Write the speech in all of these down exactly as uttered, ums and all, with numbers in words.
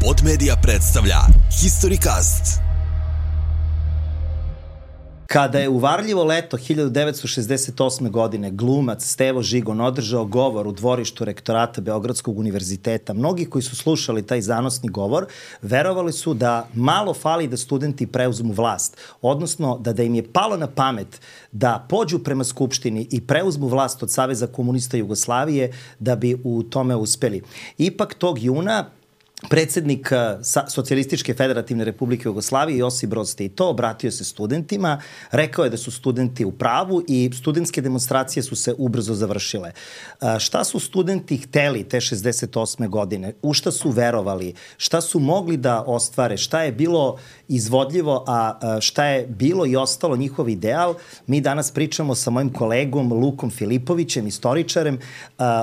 Pod Media predstavlja Historicast. Kada je u varljivo leto hiljadu devetsto šezdeset osme. godine glumac Stevo Žigon održao govor u dvorištu rektorata Beogradskog univerziteta, mnogi koji su slušali taj zanosni govor verovali su da malo fali da studenti preuzmu vlast, odnosno da da im je palo na pamet da pođu prema Skupštini i preuzmu vlast od Saveza komunista Jugoslavije da bi u tome uspeli. Ipak tog juna predsednik Socijalističke federativne republike Jugoslavije Josip Broz Tito obratio se studentima, rekao je da su studenti u pravu i studentske demonstracije su se ubrzo završile. Šta su studenti hteli te šezdeset osme. godine? U šta su verovali? Šta su mogli da ostvare? Šta je bilo izvodljivo, a šta je bilo i ostalo njihov ideal? Mi danas pričamo sa mojim kolegom Lukom Filipovićem, istoričarem.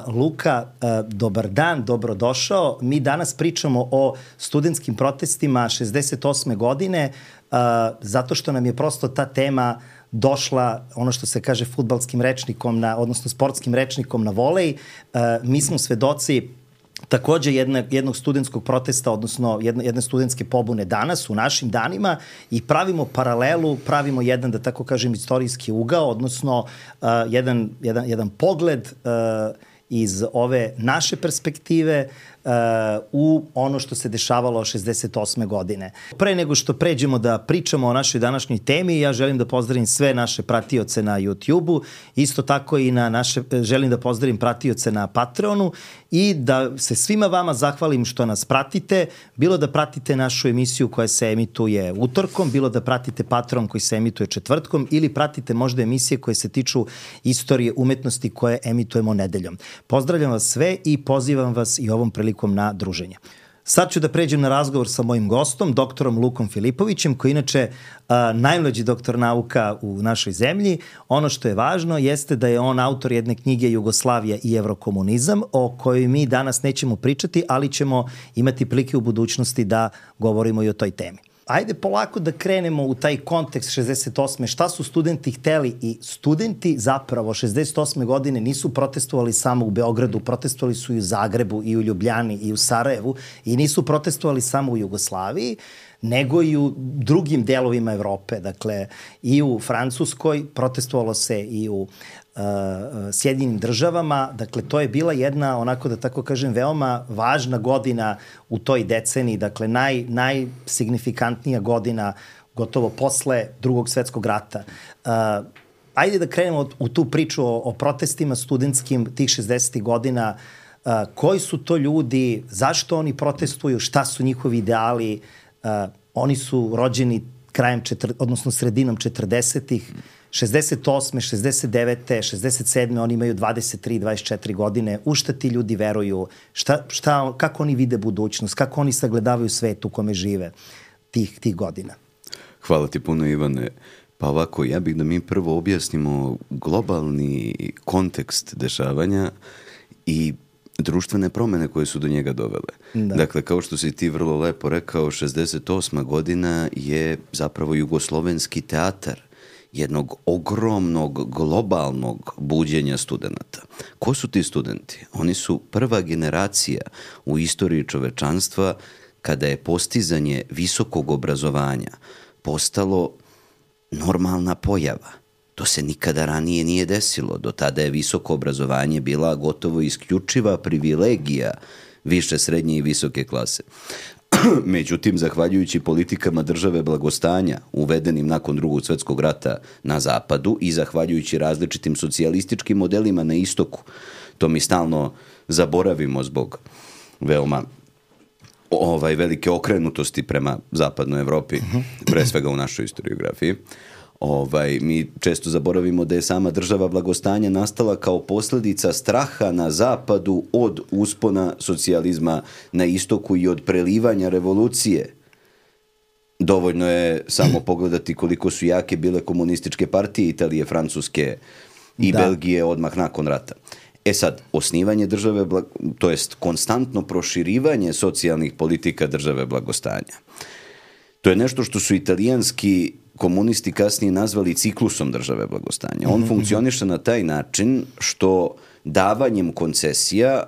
Luka, dobar dan, dobrodošao. Mi danas pričamo o studentskim protestima šezdeset osme. godine, uh, zato što nam je prosto ta tema došla, ono što se kaže fudbalskim rečnikom, na, odnosno sportskim rečnikom na volej. Uh, mi smo svedoci takođe jedne, jednog studentskog protesta, odnosno jedne, jedne studentske pobune danas, u našim danima, i pravimo paralelu, pravimo jedan, da tako kažem, istorijski ugao, odnosno uh, jedan, jedan, jedan pogled uh, iz ove naše perspektive uh, u ono što se dešavalo šezdeset osme. godine. Pre nego što pređemo da pričamo o našoj današnjoj temi, ja želim da pozdravim sve naše pratioce na YouTube-u, isto tako i na naše, želim da pozdravim pratioce na Patreonu i da se svima vama zahvalim što nas pratite, bilo da pratite našu emisiju koja se emituje utorkom, bilo da pratite Patreon koji se emituje četvrtkom ili pratite možda emisije koje se tiču istorije umetnosti koje emitujemo nedeljom. Pozdravljam vas sve i pozivam vas i ovom prilikom na druženje. Sad ću da pređem na razgovor sa mojim gostom, doktorom Lukom Filipovićem, koji inače a, najmlađi doktor nauka u našoj zemlji. Ono što je važno jeste da je on autor jedne knjige Jugoslavija i evrokomunizam, o kojoj mi danas nećemo pričati, ali ćemo imati prilike u budućnosti da govorimo i o toj temi. Ajde polako da krenemo u taj kontekst šezdeset osme. Šta su studenti hteli? I studenti zapravo šezdeset osme. godine nisu protestovali samo u Beogradu, protestovali su i u Zagrebu, i u Ljubljani, i u Sarajevu, i nisu protestovali samo u Jugoslaviji, nego i u drugim delovima Evrope. Dakle, i u Francuskoj, protestovalo se i u uh, Sjedinjenim državama. Dakle, to je bila jedna, onako da tako kažem, veoma važna godina u toj deceniji. Dakle, naj, najsignifikantnija godina gotovo posle Drugog svetskog rata. Uh, ajde da krenemo u tu priču o, o protestima studentskim tih šezdesetih godina. Uh, koji su to ljudi, zašto oni protestuju, šta su njihovi ideali? Uh, oni su rođeni krajem, četir, odnosno sredinom četrdesetih, šezdeset osme, šezdeset devete, šezdeset sedme oni imaju dvadeset tri, dvadeset četiri godine. U šta ti ljudi veruju? Šta, šta, kako oni vide budućnost? Kako oni sagledavaju svet u kome žive tih, tih godina? Hvala ti puno, Ivane. Pa ovako, ja bih da mi prvo objasnimo globalni kontekst dešavanja i društvene promene koje su do njega dovele. Da. Dakle, kao što si ti vrlo lepo rekao, šezdeset osma. godina je zapravo jugoslovenski teatar jednog ogromnog globalnog buđenja studenta. Ko su ti studenti? Oni su prva generacija u istoriji čovečanstva kada je postizanje visokog obrazovanja postalo normalna pojava. To se nikada ranije nije desilo. Do tada je visoko obrazovanje bila gotovo isključiva privilegija više, srednje i visoke klase. Međutim, zahvaljujući politikama države blagostanja uvedenim nakon Drugog svetskog rata na zapadu i zahvaljujući različitim socijalističkim modelima na istoku, to mi stalno zaboravimo zbog veoma ovaj, velike okrenutosti prema zapadnoj Evropi, pre svega u našoj historiografiji. Ovaj, mi često zaboravimo da je sama država blagostanja nastala kao posljedica straha na zapadu od uspona socijalizma na istoku i od prelivanja revolucije. Dovoljno je samo pogledati koliko su jake bile komunističke partije Italije, Francuske i da. Belgije odmah nakon rata. E sad, osnivanje države, to jest konstantno proširivanje socijalnih politika države blagostanja. To je nešto što su italijanski komunisti kasnije nazvali ciklusom države blagostanja. On funkcioniše na taj način što davanjem koncesija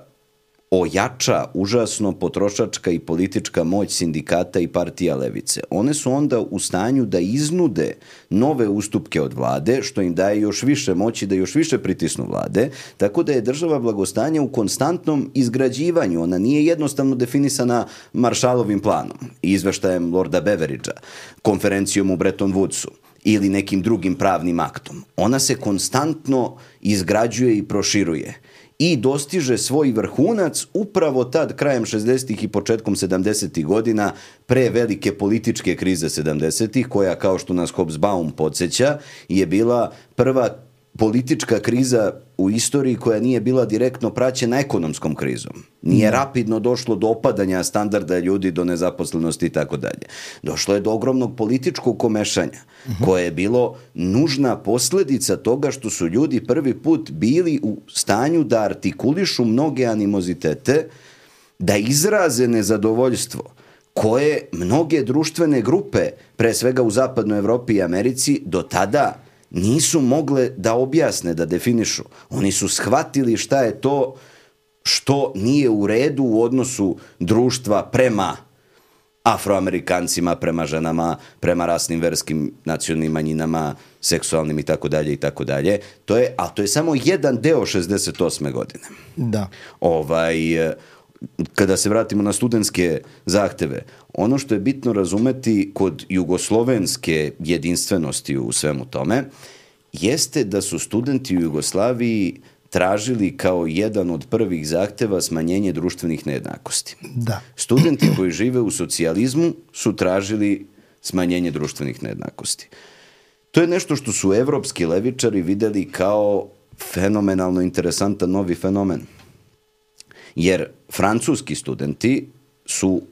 ojača užasno potrošačka i politička moć sindikata i partija levice. One su onda u stanju da iznude nove ustupke od vlade, što im daje još više moći da još više pritisnu vlade, tako da je država blagostanja u konstantnom izgrađivanju. Ona nije jednostavno definisana Marshallovim planom i izveštajem Lorda Beveridgea, konferencijom u Bretton Woodsu ili nekim drugim pravnim aktom. Ona se konstantno izgrađuje i proširuje i dostiže svoj vrhunac upravo tad krajem šezdesetih i početkom sedamdesetih godina pre velike političke krize sedamdesetih, koja, kao što nas Hobsbawm podsjeća, je bila prva politička kriza u istoriji koja nije bila direktno praćena ekonomskom krizom. Nije rapidno došlo do opadanja standarda ljudi, do nezaposlenosti i tako dalje. Došlo je do ogromnog političkog komešanja, koje je bilo nužna posledica toga što su ljudi prvi put bili u stanju da artikulišu mnoge animozitete, da izraze nezadovoljstvo koje mnoge društvene grupe, pre svega u zapadnoj Evropi i Americi, do tada nisu mogle da objasne, da definišu. Oni su shvatili šta je to što nije u redu u odnosu društva prema Afroamerikancima, prema ženama, prema rasnim, verskim, nacionalnim manjinama, seksualnim i tako dalje i tako dalje. To je, a to je samo jedan deo šezdeset osme godine. Da. Ovaj, kada se vratimo na studentske zahteve, ono što je bitno razumeti kod jugoslovenske jedinstvenosti u svemu tome, jeste da su studenti u Jugoslaviji tražili kao jedan od prvih zahteva smanjenje društvenih nejednakosti. Da. Studenti koji žive u socijalizmu su tražili smanjenje društvenih nejednakosti. To je nešto što su evropski levičari videli kao fenomenalno interesantan novi fenomen. Jer francuski studenti su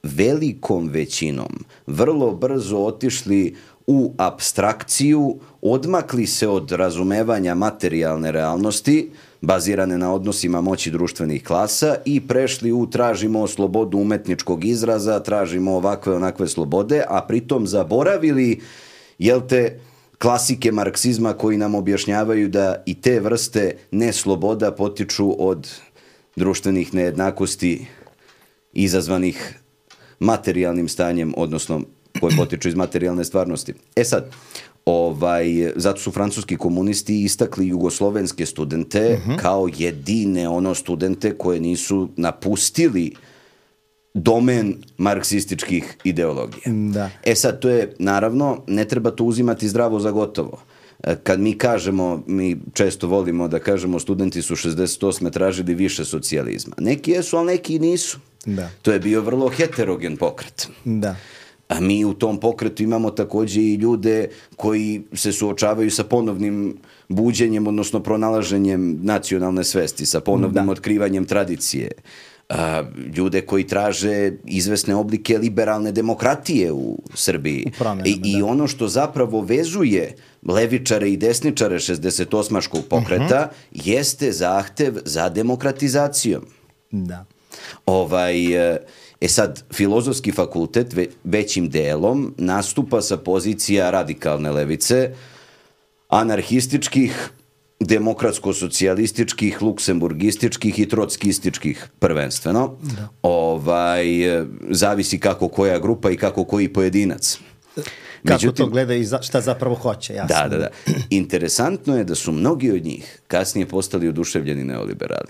velikom većinom vrlo brzo otišli u apstrakciju, odmakli se od razumevanja materijalne realnosti, bazirane na odnosima moći društvenih klasa, i prešli u tražimo slobodu umetničkog izraza, tražimo ovakve onakve slobode, a pritom zaboravili, jel te, klasike marksizma koji nam objašnjavaju da i te vrste nesloboda potiču od društvenih nejednakosti izazvanih materijalnim stanjem, odnosno koje potiču iz materijalne stvarnosti. E sad, ovaj, zato su francuski komunisti istakli jugoslovenske studente uh-huh. kao jedine ono studente koje nisu napustili domen marksističkih ideologija. Da. E sad, to je, naravno, ne treba to uzimati zdravo za gotovo. Kad mi kažemo, mi često volimo da kažemo studenti su šezdeset osme tražili više socijalizma. Neki jesu, ali neki nisu. Da. To je bio vrlo heterogen pokret. Da. A mi u tom pokretu imamo takođe i ljude koji se suočavaju sa ponovnim buđenjem, odnosno pronalaženjem nacionalne svesti, sa ponovnim da. otkrivanjem tradicije. A, ljude koji traže izvesne oblike liberalne demokratije u Srbiji. Promjenama, I, i da. ono što zapravo vezuje levičare i desničare šezdesetosmaškog pokreta uh-huh. jeste zahtev za demokratizacijom. Da. Ovaj, e sad, filozofski fakultet ve, većim delom nastupa sa pozicija radikalne levice, anarhističkih, demokratsko-socijalističkih, luksemburgističkih i trotskističkih prvenstveno. Da. Ovaj, zavisi kako koja grupa i kako koji pojedinac. Kako Međutim, to gleda i za, šta zapravo hoće, jasno. Da, da, da. Interesantno je da su mnogi od njih kasnije postali oduševljeni neoliberali.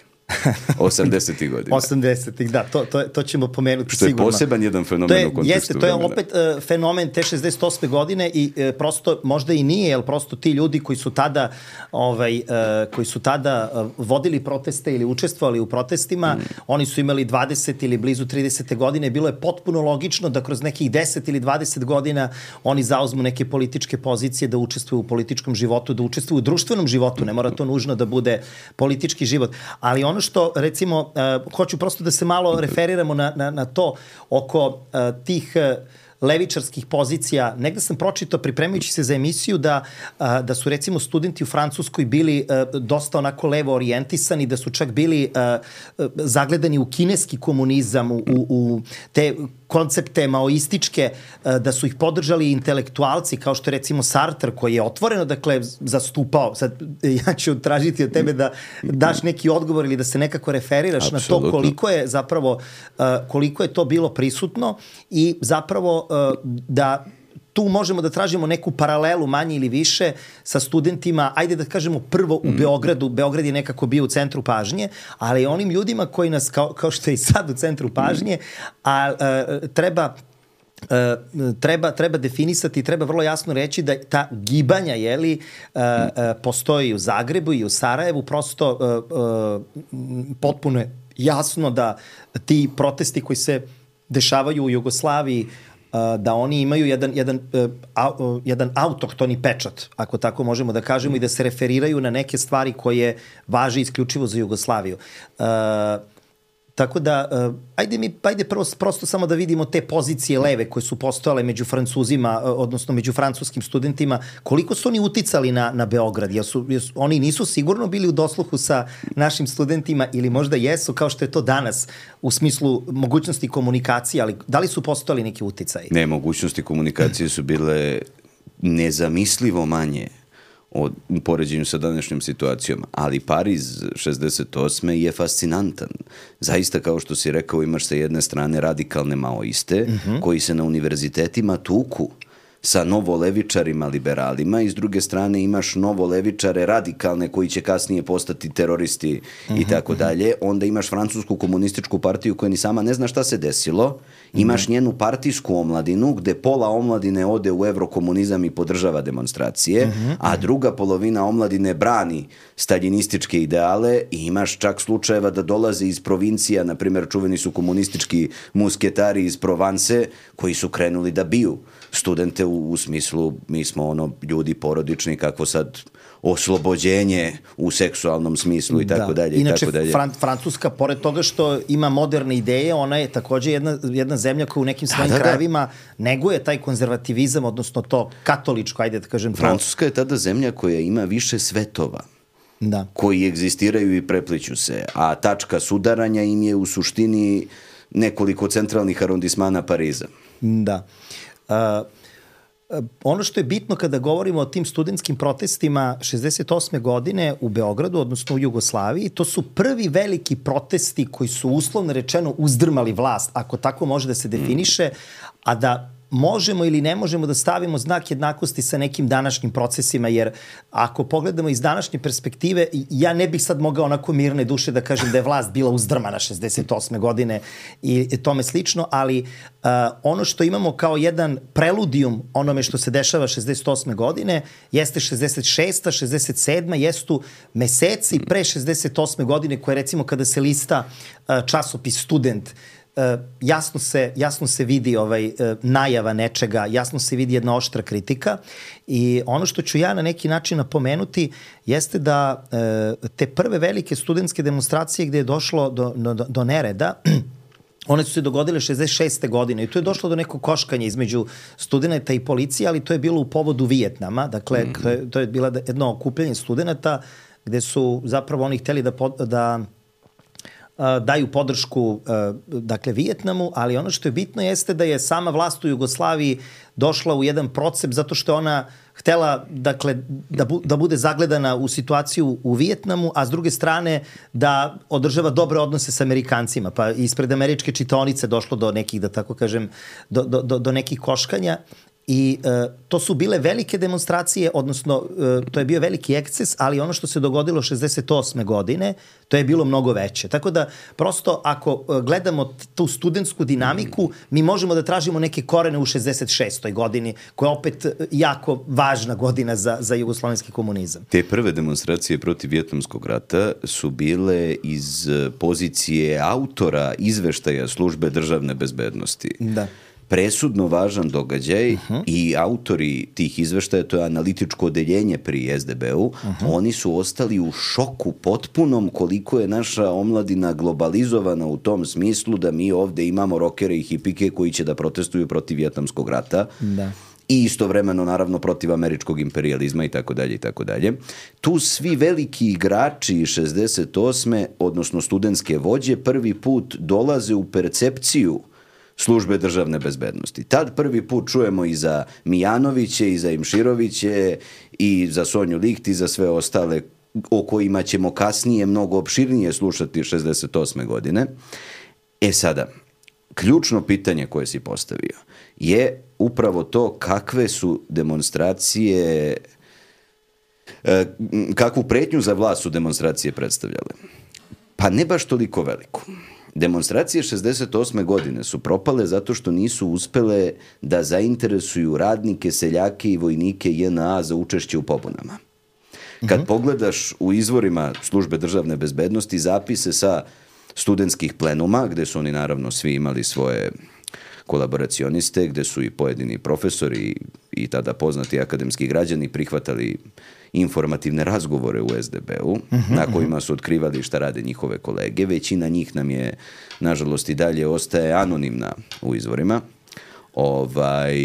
osamdesetih godina. osamdesetih, da, to, to, to ćemo pomenuti što sigurno. Što je poseban jedan fenomen to je, u kontekstu jeste, to je vremena. opet uh, fenomen te šezdeset osme godine i uh, prosto, možda i nije, jer prosto ti ljudi koji su tada ovaj, uh, koji su tada uh, vodili proteste ili učestvovali u protestima, mm. oni su imali dvadeset ili blizu trideset godine, bilo je potpuno logično da kroz nekih deset ili dvadeset godina oni zauzmu neke političke pozicije, da učestvuju u političkom životu, da učestvuju u društvenom životu, ne mora to nužno da bude politički život, ali ono što, recimo, uh, hoću prosto da se malo referiramo na, na, na to oko uh, tih uh, levičarskih pozicija. Negde sam pročitao, pripremajući se za emisiju, da, da su recimo studenti u Francuskoj bili dosta onako levo orijentisani, da su čak bili zagledani u kineski komunizam, u, u te koncepte maoističke, da su ih podržali intelektualci, kao što je recimo Sartre, koji je otvoreno, dakle, zastupao. Sad, ja ću tražiti od tebe da daš neki odgovor ili da se nekako referiraš Absolutno. Na to koliko je zapravo, koliko je to bilo prisutno i zapravo da tu možemo da tražimo neku paralelu manje ili više sa studentima, ajde da kažemo prvo u Beogradu, Beograd je nekako bio u centru pažnje, ali onim ljudima koji nas, kao, kao što je i sad u centru pažnje, a, a treba Uh, treba, treba definisati, treba vrlo jasno reći da ta gibanja, jeli, uh, uh, postoji u Zagrebu i u Sarajevu, prosto uh, uh, potpuno je jasno da ti protesti koji se dešavaju u Jugoslaviji, uh, da oni imaju jedan, jedan, uh, au, jedan autohtoni pečat, ako tako možemo da kažemo, i da se referiraju na neke stvari koje važe isključivo za Jugoslaviju. Uh, Tako da, uh, ajde mi, ajde prvo, prosto samo da vidimo te pozicije leve koje su postojale među Francuzima, uh, odnosno među francuskim studentima, koliko su oni uticali na, na Beograd, jer su, jer su, oni nisu sigurno bili u dosluhu sa našim studentima ili možda jesu, kao što je to danas u smislu mogućnosti komunikacije, ali da li su postojali neki uticaji? Ne, mogućnosti komunikacije su bile nezamislivo manje u poređenju sa današnjom situacijom, ali Pariz šezdeset osme je fascinantan. Zaista, kao što si rekao, imaš sa jedne strane radikalne maoiste, mm-hmm. koji se na univerzitetima tuku sa novolevičarima, liberalima, i s druge strane imaš novolevičare radikalne koji će kasnije postati teroristi mm-hmm. i tako dalje. Onda imaš Francusku komunističku partiju koja ni sama ne zna šta se desilo. Imaš mm-hmm. njenu partijsku omladinu gde pola omladine ode u evrokomunizam i podržava demonstracije, mm-hmm. a druga polovina omladine brani staljinističke ideale, i imaš čak slučajeva da dolaze iz provincija, na primjer čuveni su komunistički musketari iz Provance koji su krenuli da biju studente u, u smislu mi smo ono ljudi porodični, kako sad oslobođenje u seksualnom smislu i tako dalje. Inače, i tako dalje. Fran, Francuska, pored toga što ima moderne ideje, ona je takođe jedna, jedna zemlja koja u nekim svojim da, da, krajevima da. neguje taj konzervativizam, odnosno to katoličko, ajde da kažem. Francuska je tada zemlja koja ima više svetova. Da. Koji egzistiraju i prepliću se, a tačka sudaranja im je u suštini nekoliko centralnih arondismana Pariza. Da. Uh, ono što je bitno kada govorimo o tim studentskim protestima šezdeset osme godine u Beogradu, odnosno u Jugoslaviji, to su prvi veliki protesti koji su uslovno rečeno uzdrmali vlast, ako tako može da se definiše, a da možemo ili ne možemo da stavimo znak jednakosti sa nekim današnjim procesima, jer ako pogledamo iz današnje perspektive, ja ne bih sad mogao onako mirne duše da kažem da je vlast bila uzdrmana šezdeset osme godine i tome slično, ali uh, ono što imamo kao jedan preludijum onome što se dešava šezdeset osme godine jeste šezdeset šesta, šezdeset sedma, jestu meseci pre šezdeset osme godine, koje recimo kada se lista uh, časopis Student, Uh, jasno se, jasno se vidi ovaj, uh, najava nečega, jasno se vidi jedna oštra kritika, i ono što ću ja na neki način napomenuti jeste da uh, te prve velike studentske demonstracije gde je došlo do, do, do nereda, one su se dogodile šezdeset šeste godine i tu je došlo do nekog koškanja između studenta i policije, ali to je bilo u povodu Vijetnama, dakle mm. to, je, to je bilo jedno okupljanje studenta gde su zapravo oni hteli da, da daju podršku dakle Vijetnamu, ali ono što je bitno jeste da je sama vlast u Jugoslaviji došla u jedan procep zato što je ona htela dakle da, bu, da bude zagledana u situaciju u Vijetnamu, a s druge strane da održava dobre odnose sa Amerikancima, pa ispred američke čitaonice došlo do nekih, da tako kažem, do, do, do, do nekih koškanja. I e, to su bile velike demonstracije, odnosno e, to je bio veliki eksces, ali ono što se dogodilo šezdeset osme godine, to je bilo mnogo veće. Tako da, prosto, ako e, gledamo tu studentsku dinamiku, mi možemo da tražimo neke korene u šezdeset šestoj godini, koja je opet jako važna godina za, za jugoslovenski komunizam. Te prve demonstracije protiv Vijetnamskog rata su bile iz pozicije autora izveštaja službe državne bezbednosti. Da. presudno važan događaj uh-huh. i autori tih izveštaja, to je analitičko odeljenje pri es de be-u, uh-huh. oni su ostali u šoku potpunom koliko je naša omladina globalizovana u tom smislu da mi ovde imamo rokere i hipike koji će da protestuju protiv Vijetnamskog rata. Da. I istovremeno, naravno, protiv američkog imperijalizma i tako dalje i tako dalje. Tu svi veliki igrači iz šezdeset osme odnosno studentske vođe, prvi put dolaze u percepciju službe državne bezbednosti. Tad prvi put čujemo i za Mijanoviće, i za Imširoviće, i za Sonju Licht, i za sve ostale o kojima ćemo kasnije mnogo opširnije slušati šezdeset osme godine. E sada, ključno pitanje koje si postavio je upravo to kakve su demonstracije, kakvu pretnju za vlast su demonstracije predstavljale. Pa ne baš toliko veliku. Demonstracije šezdeset osme godine su propale zato što nisu uspele da zainteresuju radnike, seljake i vojnike je en a za učešće u pobunama. Kad uh-huh. pogledaš u izvorima službe državne bezbednosti zapise sa studentskih plenuma, gde su oni naravno svi imali svoje kolaboracioniste, gde su i pojedini profesori i tada poznati akademski građani prihvatali informativne razgovore u es de be-u, uh-huh, na kojima su otkrivali šta rade njihove kolege. Većina njih nam je, nažalost, i dalje ostaje anonimna u izvorima. Ovaj,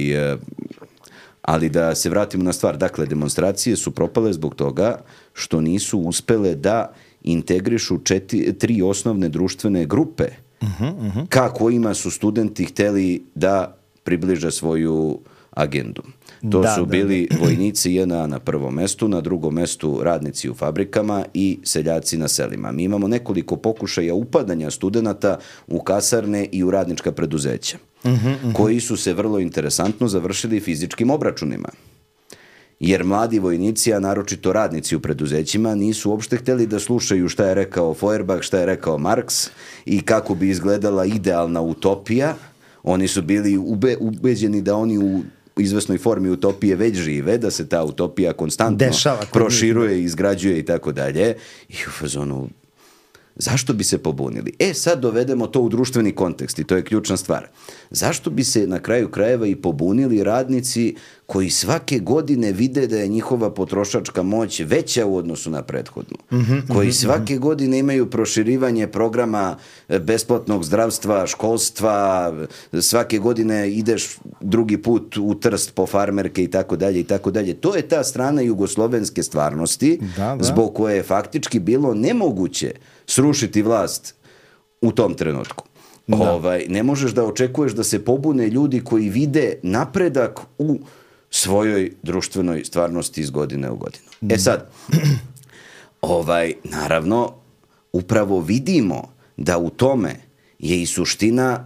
ali da se vratimo na stvar. Dakle, demonstracije su propale zbog toga što nisu uspele da integrišu četiri, tri osnovne društvene grupe uh-huh, uh-huh. ka kojima su studenti hteli da približe svoju agendu. To da, su bili da, da. vojnici je en a na prvom mestu, na drugom mestu radnici u fabrikama i seljaci na selima. Mi imamo nekoliko pokušaja upadanja studenata u kasarne i u radnička preduzeća, uh-huh, uh-huh. koji su se vrlo interesantno završili fizičkim obračunima. Jer mladi vojnici, a naročito radnici u preduzećima, nisu uopšte hteli da slušaju šta je rekao Feuerbach, šta je rekao Marks i kako bi izgledala idealna utopija. Oni su bili ube, ubeđeni da oni u izvesnoj formi utopije već žive, da se ta utopija konstantno Dešava, proširuje, izgrađuje i tako dalje. I u fazonu, zašto bi se pobunili? E, sad dovedemo to u društveni kontekst i to je ključna stvar. Zašto bi se na kraju krajeva i pobunili radnici koji svake godine vide da je njihova potrošačka moć veća u odnosu na prethodnu? Mm-hmm, koji svake mm-hmm. godine imaju proširivanje programa besplatnog zdravstva, školstva, svake godine ideš drugi put u Trst po farmerke i tako dalje i tako dalje. To je ta strana jugoslovenske stvarnosti da, da. zbog koje je faktički bilo nemoguće srušiti vlast u tom trenutku. Da. Ovaj, ne možeš da očekuješ da se pobune ljudi koji vide napredak u svojoj društvenoj stvarnosti iz godine u godinu. E sad, ovaj, naravno, upravo vidimo da u tome je i suština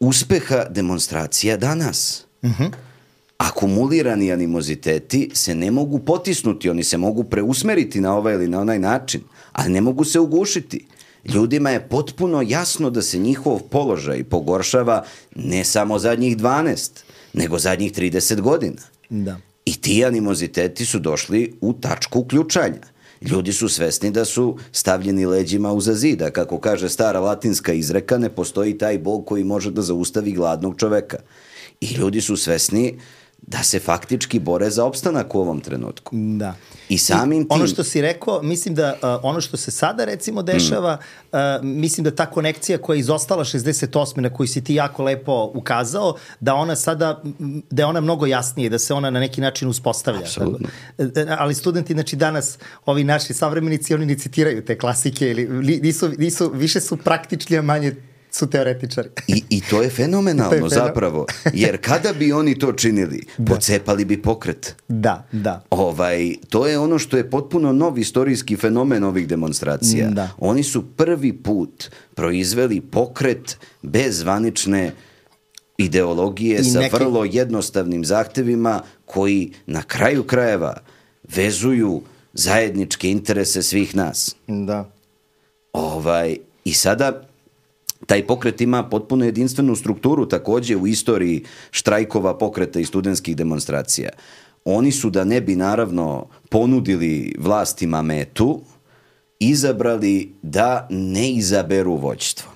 uspeha demonstracija danas. Mhm. Akumulirani animoziteti se ne mogu potisnuti, oni se mogu preusmeriti na ovaj ili na onaj način, ali ne mogu se ugušiti. Ljudima je potpuno jasno da se njihov položaj pogoršava ne samo zadnjih dvanaest, nego zadnjih trideset godina. Da. I ti animoziteti su došli u tačku uključanja. Ljudi su svesni da su stavljeni leđima uza zida. Kako kaže stara latinska izreka, ne postoji taj Bog koji može da zaustavi gladnog čoveka. I ljudi su svesni da se faktički bore za opstanak u ovom trenutku. Da. I samim tim... Ono što si rekao, mislim da uh, ono što se sada recimo dešava, mm. uh, mislim da ta konekcija koja je izostala šezdeset osme na koju si ti jako lepo ukazao, da ona sada, da je ona mnogo jasnije, da se ona na neki način uspostavlja. Apsolutno. Ali studenti, znači danas, ovi naši savremenici, oni ne citiraju te klasike, ili nisu, nisu, više su praktični, a manje su teoretičari. I, I to je fenomenalno to je fenomen... zapravo, jer kada bi oni to činili, da. pocepali bi pokret. Da, da. Ovaj, to je ono što je potpuno nov istorijski fenomen ovih demonstracija. Da. Oni su prvi put proizveli pokret bez zvanične ideologije I sa neki... vrlo jednostavnim zahtevima koji na kraju krajeva vezuju zajedničke interese svih nas. Da. Ovaj, i sada... Taj pokret ima potpuno jedinstvenu strukturu takođe u istoriji štrajkova, pokreta i studentskih demonstracija. Oni su, da ne bi naravno ponudili vlastima metu, izabrali da ne izaberu vođstvo.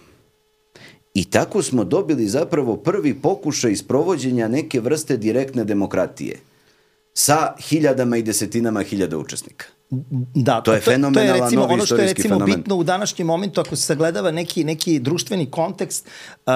I tako smo dobili zapravo prvi pokušaj sprovođenja neke vrste direktne demokratije sa hiljadama i desetinama hiljada učesnika. Da, to je fenomenalan to je recimo, novi ono što je istorijski recimo fenomen. bitno u današnjem momentu, ako se sagledava neki, neki društveni kontekst, uh,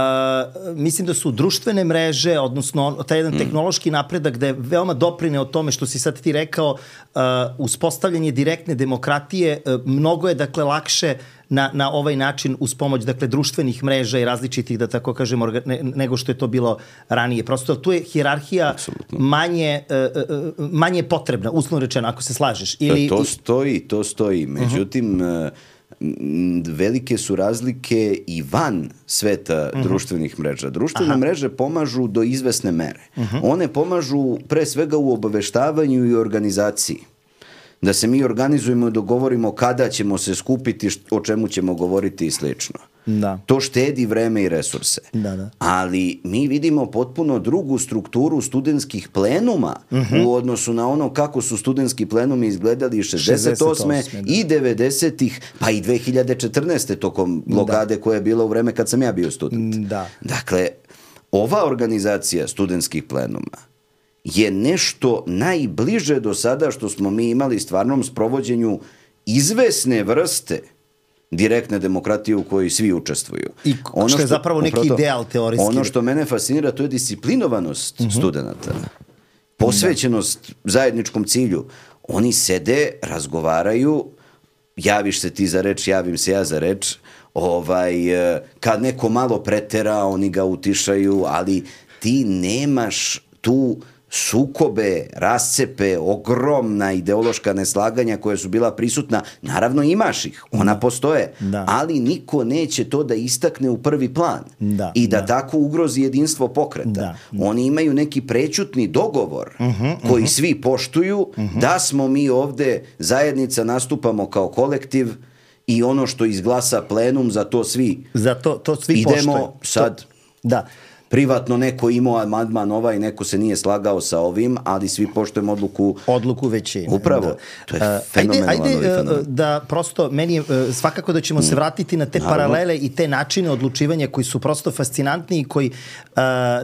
mislim da su društvene mreže, odnosno taj jedan mm. tehnološki napredak da je veoma doprineo tome što si sad ti rekao, uh, uspostavljanje direktne demokratije, uh, mnogo je dakle lakše na, na ovaj način uz pomoć dakle društvenih mreža i različitih, da tako kažem, orga, ne, nego što je to bilo ranije. Prosto tu je hijerarhija manje, uh, manje potrebna, uslovno rečeno, ako se slažeš. Ili, to stoji, to stoji. Međutim, uh-huh. velike su razlike i van sveta uh-huh. društvenih mreža. Društvene Aha. mreže pomažu do izvesne mere. Uh-huh. One pomažu pre svega u obaveštavanju i organizaciji. Da se mi organizujemo i dogovorimo kada ćemo se skupiti, o čemu ćemo govoriti i slično. Da. To štedi vreme i resurse. Da, da. Ali mi vidimo potpuno drugu strukturu studentskih plenuma uh-huh. u odnosu na ono kako su studentski plenumi izgledali šezdeset osme i devedesetih, pa i dve hiljade četrnaeste tokom blokade da. koja je bila u vreme kad sam ja bio student. Da. Dakle, ova organizacija studentskih plenuma je nešto najbliže do sada što smo mi imali stvarnom sprovođenju izvesne vrste direktne demokratije u kojoj svi učestvuju. I ono što je zapravo neki upravo, ideal teorijski. Ono što mene fascinira, to je disciplinovanost uh-huh. studenta. Posvećenost da. zajedničkom cilju. Oni sede, razgovaraju, javiš se ti za reč, javim se ja za reč, ovaj, kad neko malo pretera, oni ga utišaju, ali ti nemaš tu sukobe, rascepe, ogromna ideološka neslaganja koja su bila prisutna, naravno imaš ih, ona da. postoje, da. ali niko neće to da istakne u prvi plan da. i da, da tako ugrozi jedinstvo pokreta. Da. Da. Oni imaju neki prećutni dogovor uh-huh, koji uh-huh. svi poštuju, uh-huh. da smo mi ovde zajednica, nastupamo kao kolektiv i ono što izglasa plenum, za to svi za to, to svi idemo poštuju. sad. To, da. Privatno neko imao amandman ovaj, neko se nije slagao sa ovim, ali svi poštujemo odluku... Odluku većine. Upravo. Da. To je fenomenalno. Ajde, ajde da prosto, meni je svakako da ćemo mm. se vratiti na te Naravno. paralele i te načine odlučivanja koji su prosto fascinantni i koji uh,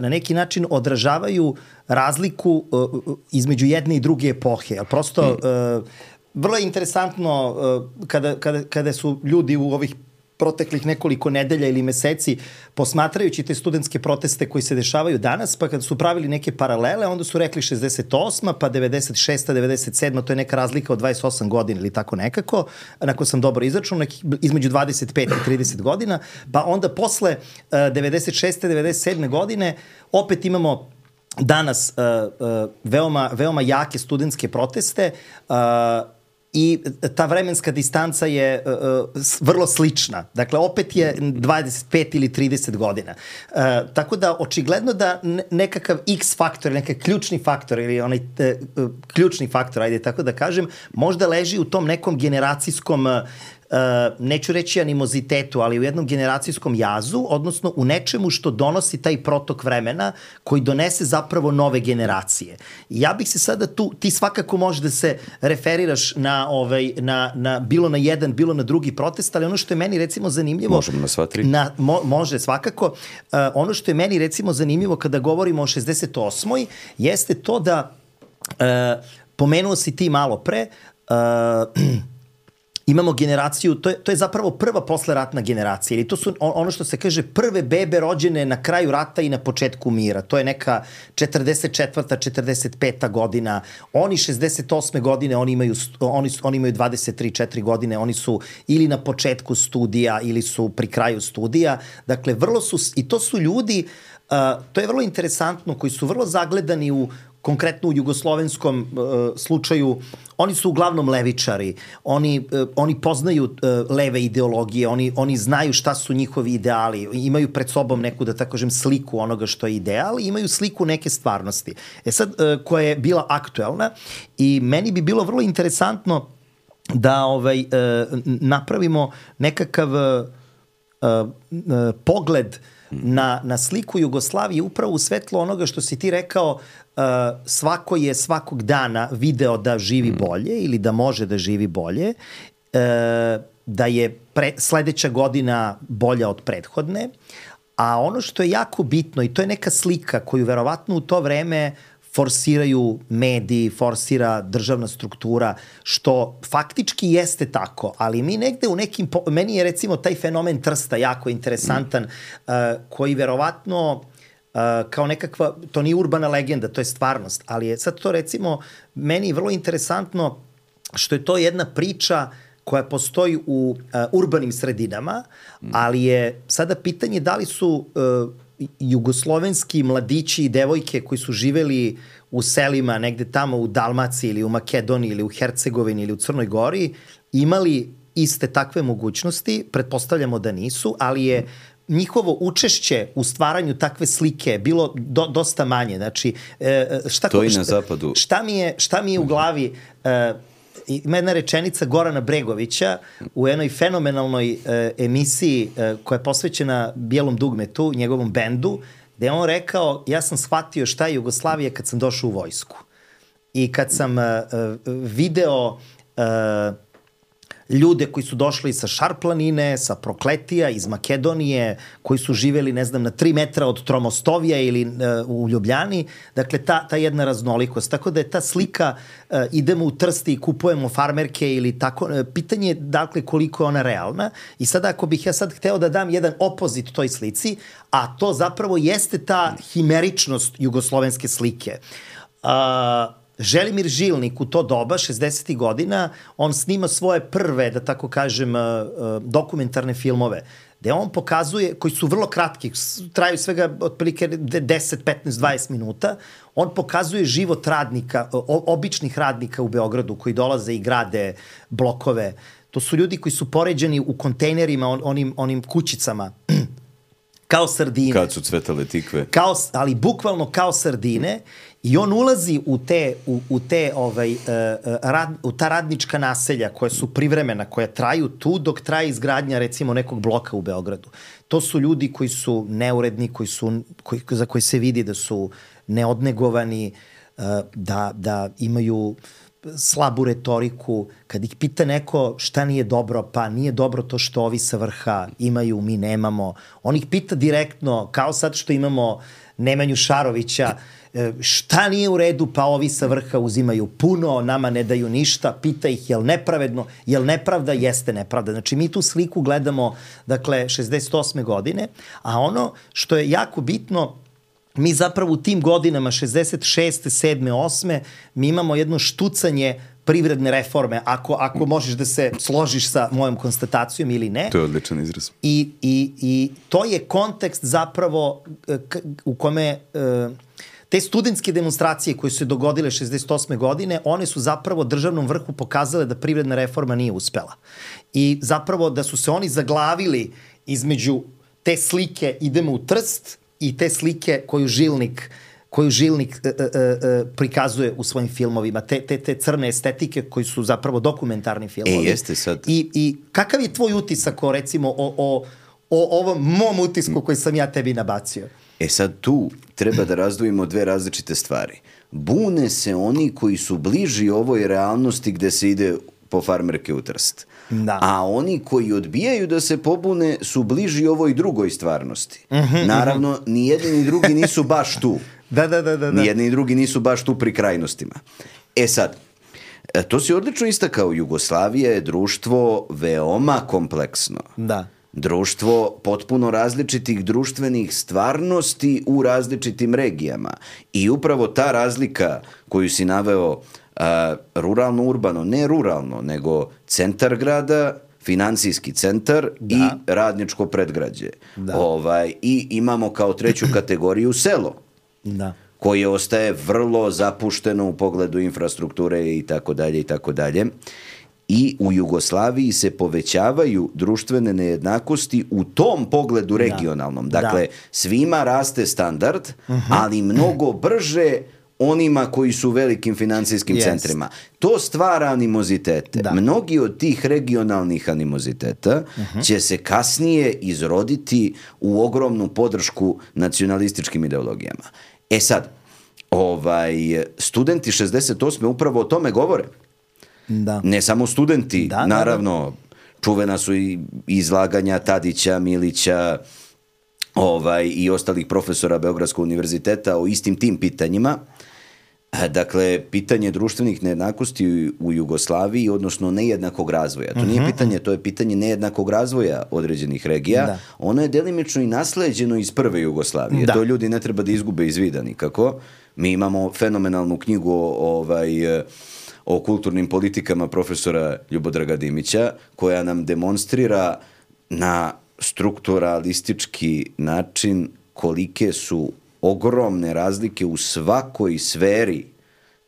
na neki način odražavaju razliku uh, između jedne i druge epohe. Prosto, mm. uh, vrlo je interesantno uh, kada, kada, kada su ljudi u ovih proteklih nekoliko nedelja ili meseci posmatrajući te studentske proteste koji se dešavaju danas, pa kad su pravili neke paralele, onda su rekli šezdeset osma, pa devedeset šesta, devedeset sedma, to je neka razlika od dvadeset osam godina ili tako nekako, onako sam dobro izračunao, neki, između dvadeset pet i trideset godina, pa onda posle uh, devedeset šeste, devedeset sedme godine opet imamo danas uh, uh, veoma, veoma jake studentske proteste, uh, i ta vremenska distanca je uh, vrlo slična. Dakle, opet je dvadeset pet ili trideset godina. Uh, tako da, očigledno da nekakav X faktor, nekakav ključni faktor ili onaj uh, ključni faktor, ajde tako da kažem, možda leži u tom nekom generacijskom uh, Uh, neću reći animozitetu, ali u jednom generacijskom jazu, odnosno u nečemu što donosi taj protok vremena koji donese zapravo nove generacije. I ja bih se sada tu, ti svakako možeš da se referiraš na, ovaj, na, na bilo na jedan, bilo na drugi protest, ali ono što je meni recimo zanimljivo... Možemo na sva tri. Na, mo, može svakako. Uh, ono što je meni recimo zanimljivo kada govorimo o šezdeset osmoj jeste to da uh, pomenuo si ti malo pre, uh, imamo generaciju, to je, to je zapravo prva posleratna generacija, ili to su ono što se kaže prve bebe rođene na kraju rata i na početku mira. To je neka četrdeset četvrta četrdeset peta godina. Oni šezdeset osme godine, oni imaju, oni, oni imaju dvadeset tri četiri godine, oni su ili na početku studija ili su pri kraju studija. Dakle, vrlo su, i to su ljudi, uh, to je vrlo interesantno, koji su vrlo zagledani u konkretno u jugoslovenskom uh, slučaju, oni su uglavnom levičari, oni, uh, oni poznaju uh, leve ideologije, oni, oni znaju šta su njihovi ideali, imaju pred sobom neku, da tako kažem, sliku onoga što je ideal, imaju sliku neke stvarnosti. E sad, uh, koja je bila aktuelna i meni bi bilo vrlo interesantno da ovaj, uh, napravimo nekakav uh, uh, uh, pogled na, na sliku Jugoslavije upravo u svetlo onoga što si ti rekao, uh, svako je svakog dana video da živi bolje ili da može da živi bolje, uh, da je pre, sledeća godina bolja od prethodne, A ono što je jako bitno, i to je neka slika koju verovatno u to vreme forsiraju mediji, forsira državna struktura, što faktički jeste tako, ali mi negde u nekim, meni je recimo taj fenomen Trsta jako interesantan, mm. uh, koji verovatno uh, kao nekakva, to nije urbana legenda, to je stvarnost, ali je sad to recimo meni vrlo interesantno što je to jedna priča koja postoji u uh, urbanim sredinama, mm. ali je sada pitanje da li su uh, jugoslovenski mladići i devojke koji su živeli u selima negde tamo u Dalmaciji ili u Makedoniji ili u Hercegovini ili u Crnoj Gori imali iste takve mogućnosti, pretpostavljamo da nisu, ali je njihovo učešće u stvaranju takve slike bilo do, dosta manje. Znači, šta, to i šta, na zapadu. Šta mi je, šta mi je u glavi... Uh, ima jedna rečenica Gorana Bregovića u jednoj fenomenalnoj uh, emisiji uh, koja je posvećena Bijelom dugmetu, njegovom bendu, gde je on rekao, ja sam shvatio šta je Jugoslavija kad sam došao u vojsku. I kad sam uh, video uh, ljude koji su došli sa Šarplanine, sa Prokletija, iz Makedonije, koji su živeli, ne znam, na tri metra od Tromostovija ili uh, u Ljubljani. Dakle, ta, ta jedna raznolikost. Tako da je ta slika, uh, idemo u Trsti i kupujemo farmerke ili tako, uh, pitanje je, dakle, koliko je ona realna. I sada, ako bih ja sad hteo da dam jedan opozit toj slici, a to zapravo jeste ta himeričnost jugoslovenske slike. Uh, Želimir Žilnik u to doba, šezdesetih godina, on snima svoje prve, da tako kažem, dokumentarne filmove, gde on pokazuje, koji su vrlo kratki, traju svega otprilike deset, petnaest, dvadeset minuta, on pokazuje život radnika, običnih radnika u Beogradu koji dolaze i grade blokove. To su ljudi koji su poređeni u kontejnerima, on, onim, onim kućicama, kao sardine. Kad su cvetale tikve. Kao, ali bukvalno kao sardine. I on ulazi u te, u, u te ovaj, uh, rad, u ta radnička naselja koja su privremena, koja traju tu dok traje izgradnja recimo nekog bloka u Beogradu. To su ljudi koji su neuredni, koji su, koji, za koji se vidi da su neodnegovani, uh, da, da imaju slabu retoriku. Kad ih pita neko šta nije dobro, pa nije dobro to što ovi sa vrha imaju, mi nemamo. On ih pita direktno, kao sad što imamo Nemanju Šarovića, šta nije u redu, pa ovi sa vrha uzimaju puno, nama ne daju ništa, pita ih je li nepravedno, je li nepravda, jeste nepravda. Znači mi tu sliku gledamo, dakle, šezdeset osme godine, a ono što je jako bitno, mi zapravo u tim godinama, šezdeset šeste, sedme, osme, mi imamo jedno štucanje privredne reforme, ako, ako možeš da se složiš sa mojom konstatacijom ili ne. To je odličan izraz. I, i, i to je kontekst zapravo u kome... Te studentske demonstracije koje su se dogodile šezdeset osme godine, one su zapravo državnom vrhu pokazale da privredna reforma nije uspela. I zapravo da su se oni zaglavili između te slike idemo u Trst i te slike koju Žilnik koju Žilnik e, e, e, prikazuje u svojim filmovima, te, te, te crne estetike koji su zapravo dokumentarni filmovi. E, jeste sad. I, i kakav je tvoj utisak o, recimo, o, o, o ovom mom utisku koji sam ja tebi nabacio? E sad tu treba da razdvojimo dve različite stvari. Bune se oni koji su bliži ovoj realnosti gde se ide po farmerke u Trst. Da. A oni koji odbijaju da se pobune su bliži ovoj drugoj stvarnosti. Uh-huh, Naravno, uh-huh. ni jedni ni drugi nisu baš tu. Da, da, da, da. Ni jedni ni drugi nisu baš tu pri krajnostima. E sad, to si odlično istakao. Jugoslavija je društvo veoma kompleksno. Da. Društvo potpuno različitih društvenih stvarnosti u različitim regijama. I upravo ta razlika koju si naveo, a, ruralno-urbano, ne ruralno, nego centar grada, finansijski centar da. I radničko predgrađe. Da. Ovaj, I imamo kao treću kategoriju selo. Da. Koje ostaje vrlo zapušteno u pogledu infrastrukture i tako dalje i tako dalje. I u Jugoslaviji se povećavaju društvene nejednakosti u tom pogledu regionalnom. Da. Dakle, da. Svima raste standard, uh-huh. ali mnogo brže onima koji su u velikim finansijskim yes. centrima. To stvara animozitete. Da. Mnogi od tih regionalnih animoziteta uh-huh. će se kasnije izroditi u ogromnu podršku nacionalističkim ideologijama. E sad, ovaj, studenti šezdeset osme upravo o tome govore. Da. Ne samo studenti, da, naravno, da, da. Čuvena su i izlaganja Tadića, Milića, ovaj, i ostalih profesora Beogradskog univerziteta o istim tim pitanjima. Dakle, pitanje društvenih nejednakosti u Jugoslaviji, odnosno nejednakog razvoja. To nije pitanje, to je pitanje nejednakog razvoja određenih regija. Da. Ono je delimično i nasleđeno iz prve Jugoslavije. Da. To ljudi ne treba da izgube iz vida nikako. Mi imamo fenomenalnu knjigu ovaj, o kulturnim politikama profesora Ljubodraga Dimića, koja nam demonstrira na strukturalistički način kolike su ogromne razlike u svakoj sferi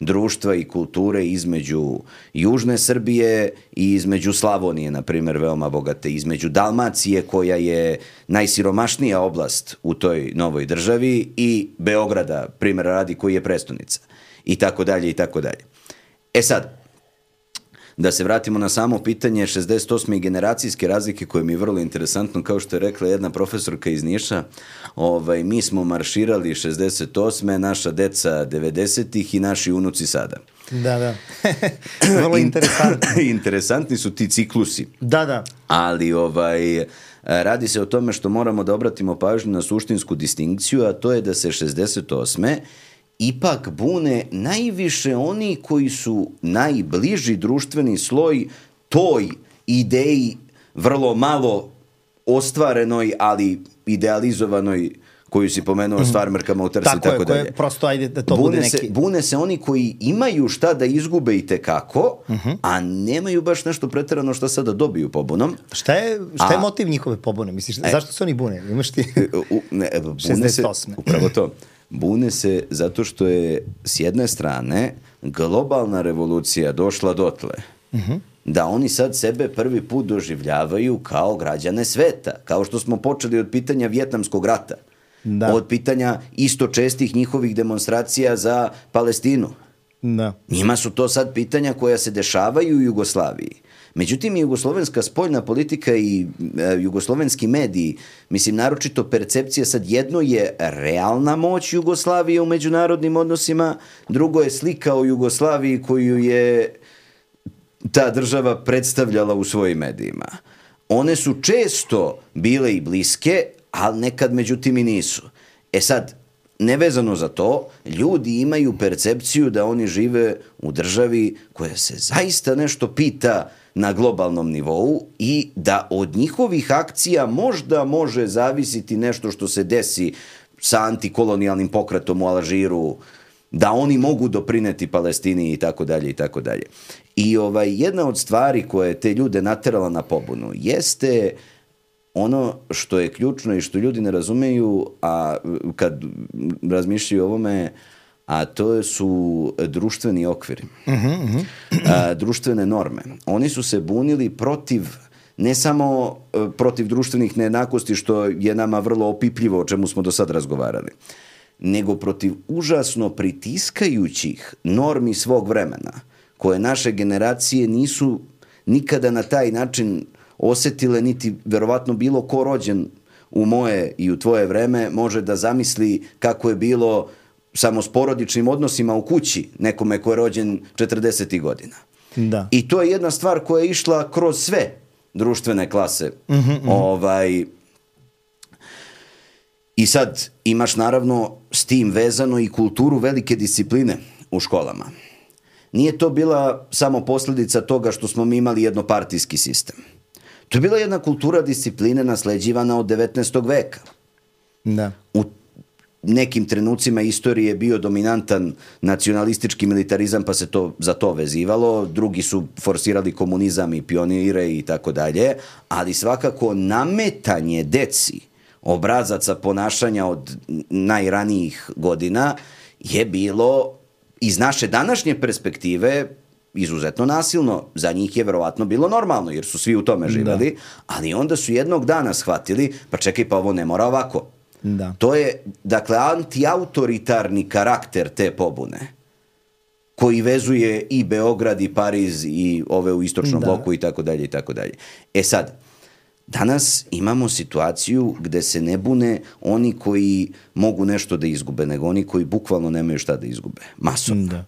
društva i kulture između južne Srbije i između Slavonije, na primjer, veoma bogate, između Dalmacije, koja je najsiromašnija oblast u toj novoj državi, i Beograda, primjer radi, koji je prestonica, i tako dalje, i tako dalje. E sad, da se vratimo na samo pitanje šezdeset osme generacijske razlike, koje mi je vrlo interesantno, kao što je rekla jedna profesorka iz Niša, ovaj, mi smo marširali šezdeset osme, naša deca devedesetih i naši unuci sada. Da, da. Vrlo interesantno. Interesantni su ti ciklusi. Da, da. Ali ovaj, radi se o tome što moramo da obratimo pažnju na suštinsku distinkciju, a to je da se šezdeset osme ipak bune najviše oni koji su najbliži društveni sloj toj ideji vrlo malo ostvarenoj, ali idealizovanoj, koju si pomenuo, s farmerkama u Trsi i tako dalje. Tako je, prosto ajde da to bune bude neki... Se, bune se oni koji imaju šta da izgube i tekako, uh-huh. a nemaju baš nešto preterano šta sada dobiju pobunom. Šta je, šta je a, motiv njihove pobune? Misliš, e, zašto se oni bune? Imaš ti u, ne, bune šezdeset osme. Se, upravo to. Bune se zato što je s jedne strane globalna revolucija došla dotle. Uh-huh. Da oni sad sebe prvi put doživljavaju kao građane sveta. Kao što smo počeli od pitanja Vjetnamskog rata. Da. Od pitanja isto čestih njihovih demonstracija za Palestinu. Da. Njima su to sad pitanja koja se dešavaju u Jugoslaviji. Međutim, jugoslovenska spoljna politika i e, jugoslovenski mediji, mislim, naročito percepcija, sad jedno je realna moć Jugoslavije u međunarodnim odnosima, drugo je slika o Jugoslaviji koju je ta država predstavljala u svojim medijima. One su često bile i bliske, ali nekad međutim i nisu. E sad, nevezano za to, ljudi imaju percepciju da oni žive u državi koja se zaista nešto pita na globalnom nivou i da od njihovih akcija možda može zavisiti nešto što se desi sa antikolonijalnim pokretom u Alžiru, da oni mogu doprineti Palestini i tako dalje i tako dalje. I ovaj, jedna od stvari koja je te ljude naterala na pobunu jeste ono što je ključno i što ljudi ne razumeju, a kad razmišljaju o ovome, a to su društveni okviri, uh-huh, uh-huh. A, društvene norme. Oni su se bunili protiv, ne samo protiv društvenih nejednakosti, što je nama vrlo opipljivo, o čemu smo do sad razgovarali, nego protiv užasno pritiskajućih normi svog vremena, koje naše generacije nisu nikada na taj način osetile, niti verovatno bilo ko rođen u moje i u tvoje vreme može da zamisli kako je bilo samo s porodičnim odnosima u kući nekome ko je rođen četrdesetih godina. Da. I to je jedna stvar koja je išla kroz sve društvene klase. Mm-hmm, mm-hmm. Ovaj, I sad imaš naravno s tim vezano i kulturu velike discipline u školama. Nije to bila samo posljedica toga što smo mi imali jednopartijski sistem. To je bila jedna kultura discipline nasleđivana od devetnaestog veka. Da. U nekim trenucima istorije je bio dominantan nacionalistički militarizam, pa se to za to vezivalo. Drugi su forsirali komunizam i pionire i tako dalje. Ali svakako nametanje deci obrazaca ponašanja od najranijih godina je bilo iz naše današnje perspektive izuzetno nasilno. Za njih je verovatno bilo normalno, jer su svi u tome živjeli, da. Ali onda su jednog dana shvatili, pa čekaj, pa ovo ne mora ovako. Da. To je, dakle, antiautoritarni karakter te pobune, koji vezuje i Beograd i Pariz i ove u istočnom da. bloku i tako dalje i tako dalje. E sad, danas imamo situaciju gde se ne bune oni koji mogu nešto da izgube, nego oni koji bukvalno nemaju šta da izgube. Masovno. Da.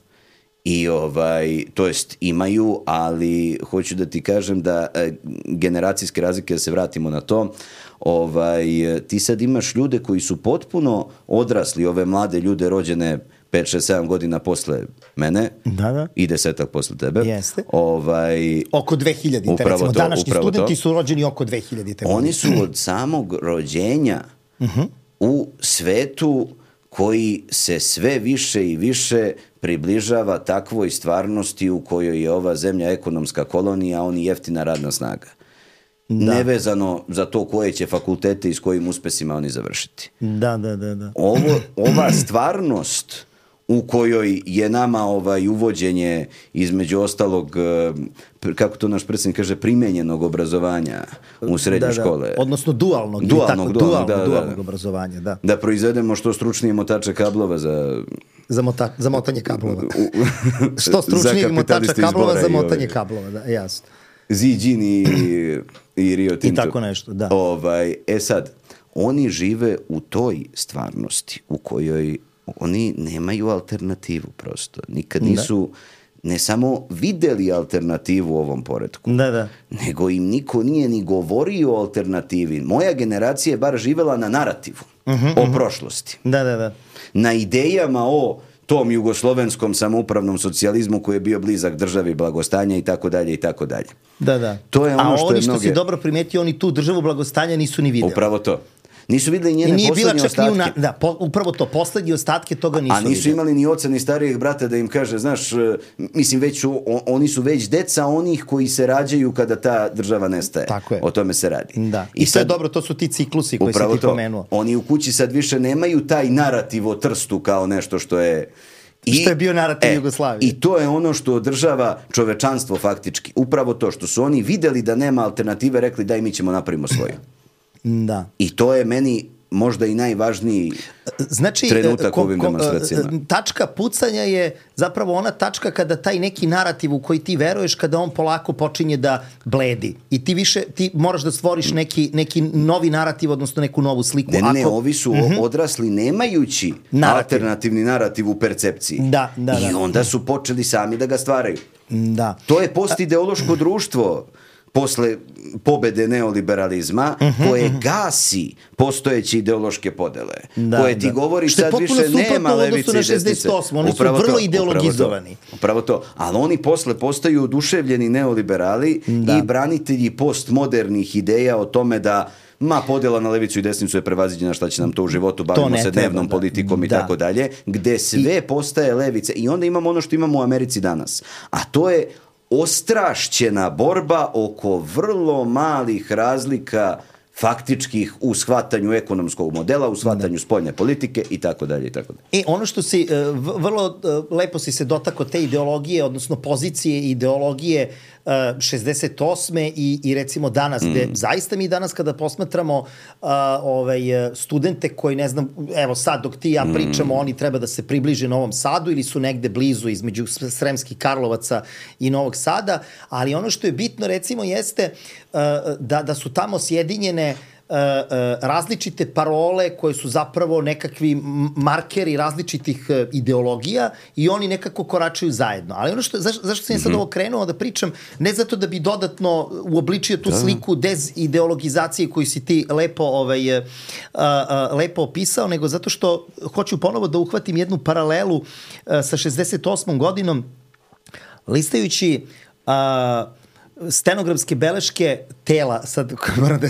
I ovaj, to jest imaju, ali hoću da ti kažem da e, generacijske razlike, da se vratimo na to, ovaj, ti sad imaš ljude koji su potpuno odrasli, ove mlade ljude rođene pet, šest, sedam godina posle mene, da, da. I desetak posle tebe. Jeste. Ovaj, oko dve hiljadite, recimo. To, današnji studenti to. su rođeni oko dve hiljadite. Oni su od samog rođenja uh-huh. u svetu koji se sve više i više približava takvoj stvarnosti u kojoj je ova zemlja ekonomska kolonija, a oni jeftina radna snaga. Da. Nevezano za to koje će fakultete i s kojim uspesima oni završiti. Da, da, da. da. Ovo, ova stvarnost u kojoj je nama ovaj uvođenje između ostalog, kako to naš predsjednik kaže, primenjenog obrazovanja u srednje da, da. škole. Odnosno dualnog. Dualnog, tako, dualnog, dualnog, da, dualnog da. obrazovanja, da. Da proizvedemo što stručnije motače kablova za... Za, mota, za motanje kablova. Što stručnijeg motača kablova za motanje kablova, da, jasno. Ziđin i, i Rio Tinto. I tako nešto, da. Ovaj, e sad, oni žive u toj stvarnosti u kojoj oni nemaju alternativu prosto. Nikad nisu ne samo videli alternativu u ovom poretku, da, da. nego im niko nije ni govorio o alternativi. Moja generacija je bar živela na narativu uh-huh, o uh-huh. prošlosti. Da, da, da. Na idejama o tom jugoslovenskom samoupravnom socijalizmu koji je bio blizak državi blagostanja i tako dalje i tako dalje. Da, da. To je ono A što oni je što mnoge... si dobro primetio, oni tu državu blagostanja nisu ni videli. Upravo to. Nisu videli njene poslednje ostatke. Na, da, po, upravo to, poslednje ostatke toga nisu videli. A nisu videli. imali ni oca ni starijeg brata da im kaže, znaš, mislim, već su, on, oni su već deca onih koji se rađaju kada ta država nestaje. Tako je. O tome se radi. Da. I, I sad, to je dobro, to su ti ciklusi koji si ti to. pomenuo. Oni u kući sad više nemaju taj narativ o Trstu kao nešto što je... I, što je bio narativ e, Jugoslavije. I to je ono što održava čovečanstvo faktički. Upravo to što su oni videli da nema alternative, rekli daj mi ćemo napravimo svoju. Da. I to je meni možda i najvažniji znači, trenutak ko, ovim ko, demonstracijama. Tačka pucanja je zapravo ona tačka kada taj neki narativ u koji ti veruješ, kada on polako počinje da bledi. I ti više, ti moraš da stvoriš neki, neki novi narativ, odnosno neku novu sliku. Ne, ne, ne Ako... ovi su uh-huh. odrasli nemajući narativ. Alternativni narativ u percepciji. Da, da, da. I onda su počeli sami da ga stvaraju. Da. To je postideološko društvo posle pobede neoliberalizma, uh-huh, koje uh-huh. gasi postojeće ideološke podele, da, koje ti da. govori sad više nema levice i desnice. Oni upravo su vrlo to, ideologizovani. Upravo to, upravo to. Ali oni posle postaju oduševljeni neoliberali da. I branitelji postmodernih ideja o tome da ma podjela na levicu i desnicu je prevaziđena, šta će nam to u životu, bavimo se dnevnom treba, politikom da. I tako dalje, gde sve I... postaje levice. I onda imamo ono što imamo u Americi danas. A to je ostrašćena borba oko vrlo malih razlika faktičkih u shvatanju ekonomskog modela, u shvatanju spoljne politike i tako dalje i tako dalje. I ono što si, vrlo lepo si se dotakao te ideologije, odnosno pozicije ideologije šezdeset osme i, i recimo danas, mm. gde zaista mi danas kada posmatramo uh, ovaj, studente koji, ne znam, evo sad dok ti i ja pričamo, mm. oni treba da se približe Novom Sadu ili su negde blizu između Sremskih Karlovaca i Novog Sada, ali ono što je bitno recimo jeste uh, da, da su tamo sjedinjene Uh, uh, različite parole koje su zapravo nekakvi markeri različitih uh, ideologija i oni nekako koračaju zajedno. Ali ono što, zaš, zašto sam ja sad ovo krenuo da pričam, ne zato da bi dodatno uobličio tu da. Sliku dezideologizacije koju si ti lepo, ovaj, uh, uh, lepo opisao, nego zato što hoću ponovo da uhvatim jednu paralelu uh, sa šezdeset osmom godinom, listajući uh, stenografske beleške tela, sad moram da,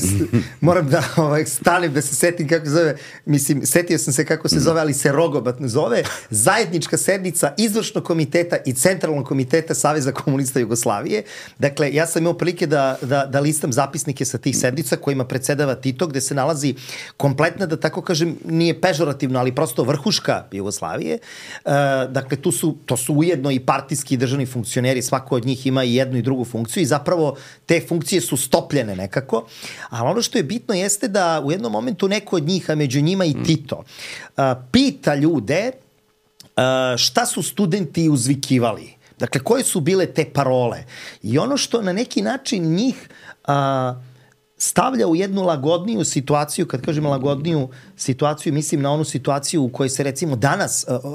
moram da ovaj, stanem da se setim kako se zove, mislim, setio sam se kako se zove, ali se rogobatno zove, zajednička sednica izvršnog komiteta i centralnog komiteta Saveza komunista Jugoslavije. Dakle, ja sam imao prilike da, da, da listam zapisnike sa tih sednica kojima predsedava Tito, gde se nalazi kompletna, da tako kažem, nije pežorativno, ali prosto vrhuška Jugoslavije. Uh, dakle, tu su, to su ujedno i partijski i državni funkcioneri, svako od njih ima i jednu i drugu funkciju i zapravo te funkcije su stopljene nekako, ali ono što je bitno jeste da u jednom momentu neko od njih, a među njima i Tito, uh, pita ljude uh, šta su studenti uzvikivali. Dakle, koje su bile te parole. I ono što na neki način njih uh, stavlja u jednu lagodniju situaciju, kad kažem lagodniju situaciju, mislim na onu situaciju u kojoj se recimo danas uh, uh,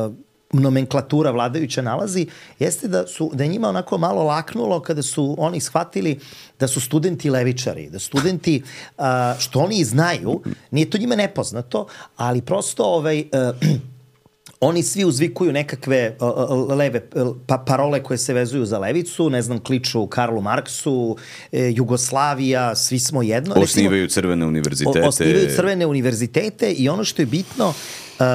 uh, nomenklatura vladajuća nalazi, jeste da su da je njima onako malo laknulo kada su oni shvatili da su studenti levičari, da studenti, uh, što oni znaju, nije to njima nepoznato, ali prosto ovaj, uh, oni svi uzvikuju nekakve uh, leve pa, parole koje se vezuju za levicu, ne znam, kliču Karlu Marksu, eh, Jugoslavija, svi smo jedno. Osnivaju recimo, crvene univerzitete. O, osnivaju crvene univerzitete i ono što je bitno uh,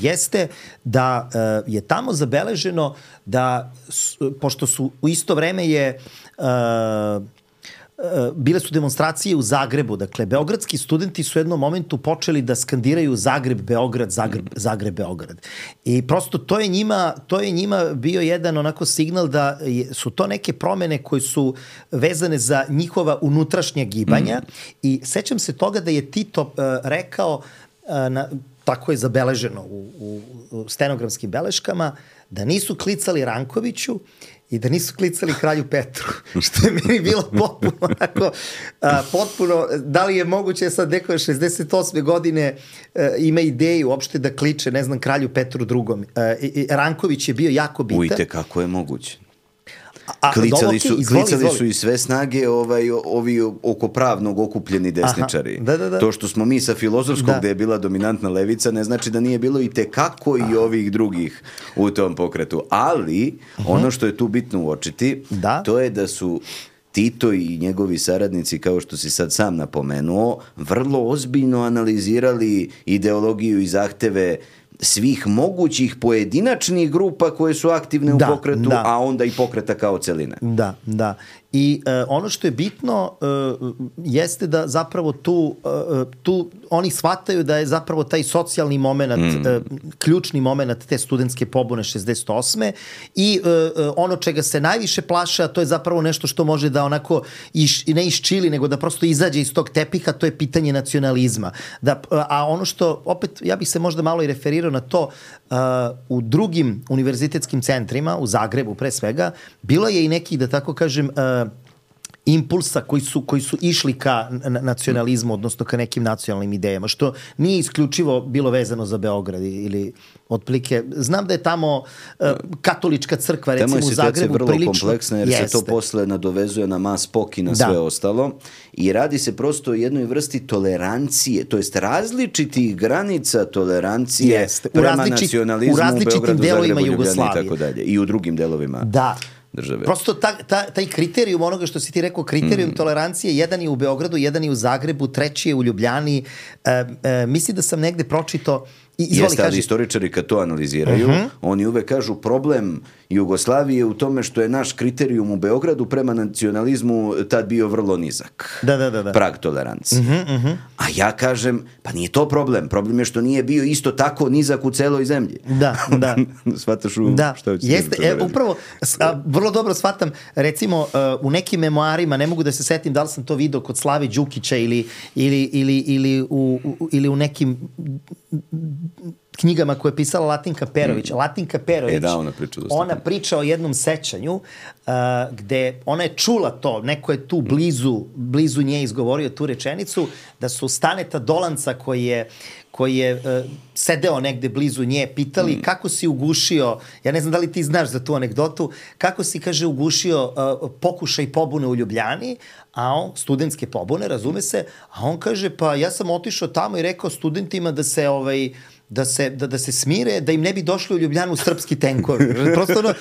jeste da uh, je tamo zabeleženo da, pošto su u isto vreme je uh, bile su demonstracije u Zagrebu. Dakle, beogradski studenti su u jednom momentu počeli da skandiraju Zagreb, Beograd, Zagreb, Zagreb, Beograd. I prosto to je njima, to je njima bio jedan onako signal da je, su to neke promene koje su vezane za njihova unutrašnja gibanja. Mm. I sećam se toga da je Tito uh, rekao, uh, na, tako je zabeleženo u, u, u stenografskim beleškama, da nisu klicali Rankoviću i da nisu klicali kralju Petru, što je meni bilo potpuno onako, a, potpuno, da li je moguće sad neko šezdeset osme godine a, ima ideju uopšte da kliče, ne znam, kralju Petru drugom. A, i, Ranković je bio jako bitan. Ujte, kako je moguće. A, klicali su, izvoli, klicali izvoli. su i sve snage ovaj, ovi oko pravnog okupljeni desničari. Aha, da, da, da. To što smo mi sa filozofskog da. gde je bila dominantna levica ne znači da nije bilo i tekako i ovih drugih u tom pokretu. Ali uh-huh. ono što je tu bitno uočiti, da. to je da su Tito i njegovi saradnici, kao što si sad sam napomenuo, vrlo ozbiljno analizirali ideologiju i zahteve svih mogućih pojedinačnih grupa koje su aktivne u da, pokretu, da. a onda i pokreta kao celine. Da, da. I uh, ono što je bitno uh, jeste da zapravo tu, uh, tu oni shvataju da je zapravo taj socijalni moment, mm. uh, ključni moment te studentske pobune šezdeset osme i uh, uh, ono čega se najviše plaše, a to je zapravo nešto što može da onako iš, ne iščili, nego da prosto izađe iz tog tepiha, to je pitanje nacionalizma. Da, uh, a ono što, opet, ja bih se možda malo i referirao na to, uh, u drugim univerzitetskim centrima, u Zagrebu pre svega, bilo je i neki, da tako kažem, uh, impulsa koji su, koji su išli ka nacionalizmu, odnosno ka nekim nacionalnim idejama, što nije isključivo bilo vezano za Beograd ili otprilike. Znam da je tamo uh, katolička crkva, recimo u Zagrebu, vrlo prilično kompleksna, jer jeste. se to posle nadovezuje na mas pok i na da. sve ostalo. I radi se prosto o jednoj vrsti tolerancije, to jest različitih granica tolerancije jeste. prema različit, nacionalizmu u, u Beogradu, Zagrebu, Ljubljani i tako dalje. I u drugim delovima. Da. Države. Prosto ta, ta, taj kriterijum onoga što si ti rekao, kriterijum mm. tolerancije, jedan je u Beogradu, jedan je u Zagrebu, treći je u Ljubljani. E, e, mislim da sam negde pročito... Izvoli, Jeste, ali kaži... istoričari kad to analiziraju, uh-huh. oni uvek kažu problem Jugoslavije u tome što je naš kriterijum u Beogradu prema nacionalizmu tad bio vrlo nizak. Da, da, da. da. Prag tolerancije. Uh-huh, uh-huh. A ja kažem, pa nije to problem. Problem je što nije bio isto tako nizak u celoj zemlji. Da, da. Shvataš u da. šta hoćeš Jeste, e, upravo, a, vrlo dobro shvatam, recimo, uh, u nekim memoarima, ne mogu da se setim da li sam to video kod Slave Đukića ili, ili, ili, ili, u, u, ili u nekim knjigama koje je pisala Latinka Perović. Mm. Latinka Perović, e, da, ona, priča ona priča o jednom sećanju uh, gde ona je čula to, neko je tu blizu, blizu nje izgovorio tu rečenicu, da su Staneta Dolanca koji je koji je uh, sedeo negde blizu nje, pitali mm. kako si ugušio, ja ne znam da li ti znaš za tu anegdotu, kako si, kaže, ugušio uh, pokušaj pobune u Ljubljani, a on, studentske pobune, razume se, a on kaže, pa ja sam otišao tamo i rekao studentima da se ovaj da se, da, da se smire, da im ne bi došli u Ljubljanu srpski tenkovi. Prosto ono,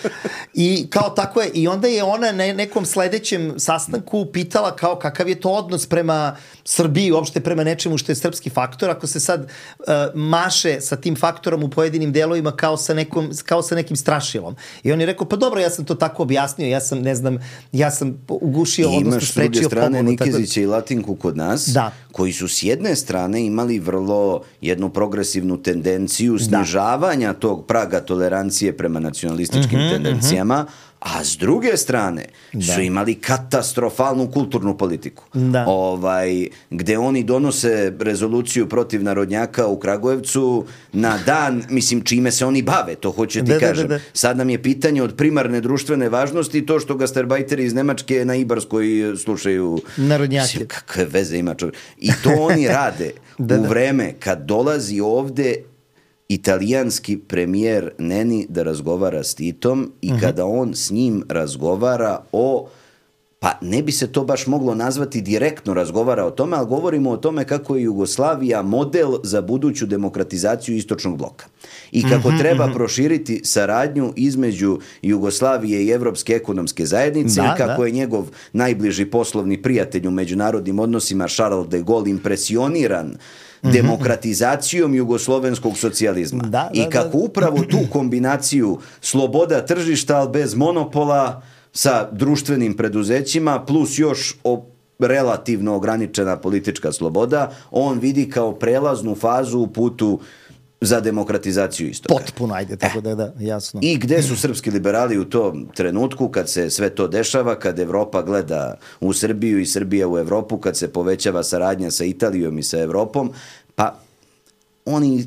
i kao tako je, i onda je ona na nekom sledećem sastanku pitala kao kakav je to odnos prema Srbiji, uopšte prema nečemu što je srpski faktor, ako se sad uh, maše sa tim faktorom u pojedinim delovima kao sa, nekom, kao sa nekim strašilom. I on je rekao, pa dobro, ja sam to tako objasnio, ja sam, ne znam, ja sam ugušio, I odnosno sprečio pobunu. Imaš s druge strane Nikezića tako... i Latinku kod nas, da. koji su s jedne strane imali vrlo jednu progresivnu tendenciju snižavanja da. tog praga tolerancije prema nacionalističkim uh-huh, tendencijama, uh-huh. a s druge strane da. su imali katastrofalnu kulturnu politiku. Da. Ovaj, gde oni donose rezoluciju protiv narodnjaka u Kragujevcu na dan, mislim, čime se oni bave, to hoću ti da, kažem. Da, da, da. Sad nam je pitanje od primarne društvene važnosti to što gastarbajteri iz Nemačke na Ibarskoj slušaju narodnjake. Mislim, kakve veze ima čovjek. I to oni rade da, u vreme kad dolazi ovde italijanski premijer Neni da razgovara s Titom i uh-huh. kada on s njim razgovara o, pa ne bi se to baš moglo nazvati direktno razgovara o tome, ali govorimo o tome kako je Jugoslavija model za buduću demokratizaciju istočnog bloka. I kako uh-huh, treba uh-huh. proširiti saradnju između Jugoslavije i Evropske ekonomske zajednice, da, kako da. je njegov najbliži poslovni prijatelj u međunarodnim odnosima Charles de Gaulle impresioniran demokratizacijom jugoslovenskog socijalizma. Da, I da, kako da. upravo tu kombinaciju sloboda tržišta, ali bez monopola, sa društvenim preduzećima, plus još o, relativno ograničena politička sloboda, on vidi kao prelaznu fazu u putu za demokratizaciju istoka. Potpuno, ajde, tako da je da, jasno. I gde su srpski liberali u tom trenutku, kad se sve to dešava, kad Evropa gleda u Srbiju i Srbija u Evropu, kad se povećava saradnja sa Italijom i sa Evropom, pa oni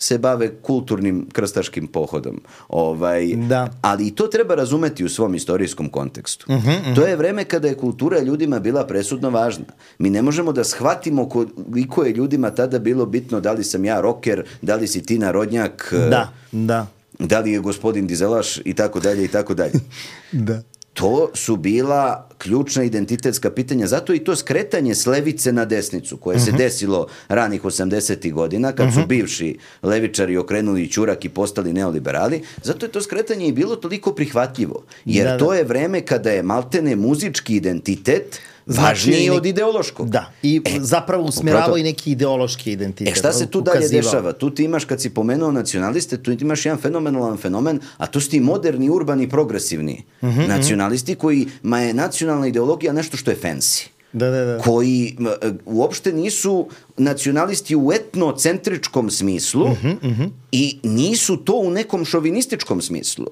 se bave kulturnim krstaškim pohodom. Ovaj, da. Ali i to treba razumeti u svom istorijskom kontekstu. Uh-huh, uh-huh. To je vreme kada je kultura ljudima bila presudno važna. Mi ne možemo da shvatimo koliko je ljudima tada bilo bitno da li sam ja rocker, da li si ti narodnjak, da, da. da li je gospodin Dizelaš i tako dalje i tako dalje. Da. To su bila ključna identitetska pitanja. Zato i to skretanje s levice na desnicu, koje uh-huh. se desilo ranih osamdesetih godina, kad uh-huh. su bivši levičari okrenuli ćurak i postali neoliberali, zato je to skretanje i bilo toliko prihvatljivo. Jer da, da. to je vreme kada je maltene muzički identitet važniji znači, od ideološkog. Da, i e, zapravo usmjeravao i neki ideološki identitet. E šta se tu dalje dešava? Tu ti imaš, kad si pomenuo nacionaliste, tu ti imaš jedan fenomenalan fenomen, a to su ti moderni, urbani, progresivni uh-huh, nacionalisti, uh-huh. kojima je nacionalna ideologija nešto što je fancy. Da, da, da. Koji uopšte nisu nacionalisti u etnocentričkom smislu uh-huh, uh-huh. i nisu to u nekom šovinističkom smislu.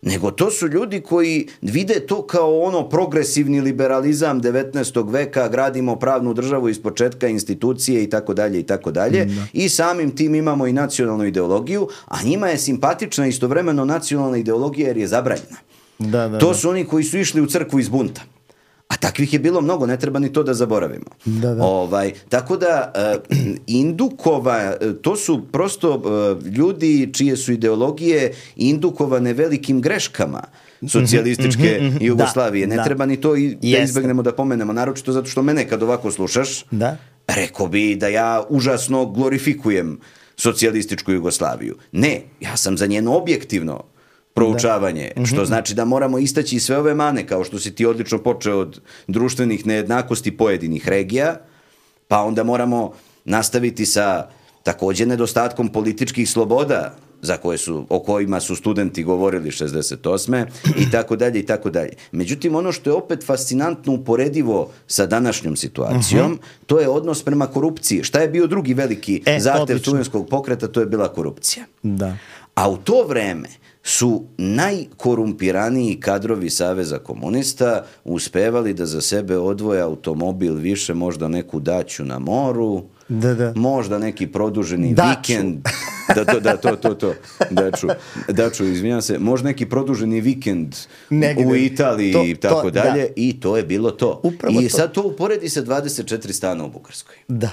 Nego to su ljudi koji vide to kao ono progresivni liberalizam devetnaestog veka, gradimo pravnu državu iz početka, institucije i tako dalje i tako dalje. I samim tim imamo i nacionalnu ideologiju, a njima je simpatična istovremeno nacionalna ideologija jer je zabranjena. Da, da, to da. su oni koji su išli u crkvu iz bunta. A takvih je bilo mnogo, ne treba ni to da zaboravimo. Da, da. Ovaj, tako da uh, indukova, to su prosto uh, ljudi čije su ideologije indukovane velikim greškama socijalističke mm-hmm, mm-hmm, Jugoslavije. Da, ne da. treba ni to i, da izbegnemo da pomenemo, naročito zato što mene kad ovako slušaš, da. rekao bi da ja užasno glorifikujem socijalističku Jugoslaviju. Ne, ja sam za njeno objektivno proučavanje, da. što znači da moramo istaći sve ove mane, kao što si ti odlično počeo od društvenih nejednakosti pojedinih regija, pa onda moramo nastaviti sa također nedostatkom političkih sloboda za koje su, o kojima su studenti govorili šezdeset osme i tako dalje i tako dalje. Međutim, ono što je opet fascinantno uporedivo sa današnjom situacijom, uh-huh. to je odnos prema korupciji. Šta je bio drugi veliki e, zahtev studentskog pokreta? To je bila korupcija. Da. A u to vreme su najkorumpiraniji kadrovi Saveza komunista uspevali da za sebe odvoje automobil više, možda neku daću na moru, da, da. možda neki produženi daču. vikend, da, to, da, to, to, to, daču, daču, izvinjam se, možda neki produženi vikend negde u Italiji to, i tako to, dalje, da. I to je bilo to. Upravo I to. sad to uporedi sa dvadeset četiri stana u Bugarskoj. Da.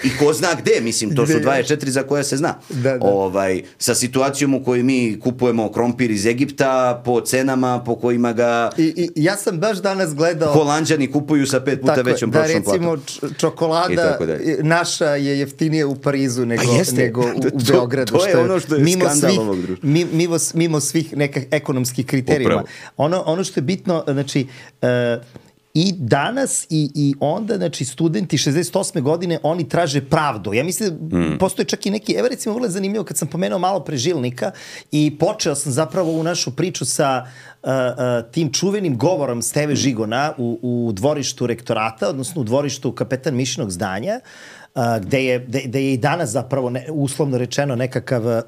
I ko zna gde, mislim, to su dvadeset četiri za koje se zna. Da, da. Ovaj, sa situacijom u kojoj mi kupujemo krompir iz Egipta po cenama po kojima ga I, i ja sam baš danas gledao Holanđani kupuju sa pet puta tako, većom da, prošlom platom. Da, recimo čokolada naša je jeftinija u Parizu nego, nego u, u to, Beogradu. To je što ono što je mimo skandal svih, ovog društva. Mimo, mimo svih nekih ekonomskih kriterijuma. Ono, ono što je bitno, znači... Uh, I danas i, i onda, znači, studenti šezdeset osme godine, oni traže pravdu. Ja mislim, mm. postoje čak i neki, evo recimo, vrlo zanimljivo, kad sam pomenuo malo pre Žilnika i počeo sam zapravo u našu priču sa uh, uh, tim čuvenim govorom Steve Žigona u, u dvorištu rektorata, odnosno u dvorištu Kapetan Mišinog zdanja, uh, gde, je, gde, gde je i danas zapravo, ne, uslovno rečeno, nekakav... Uh,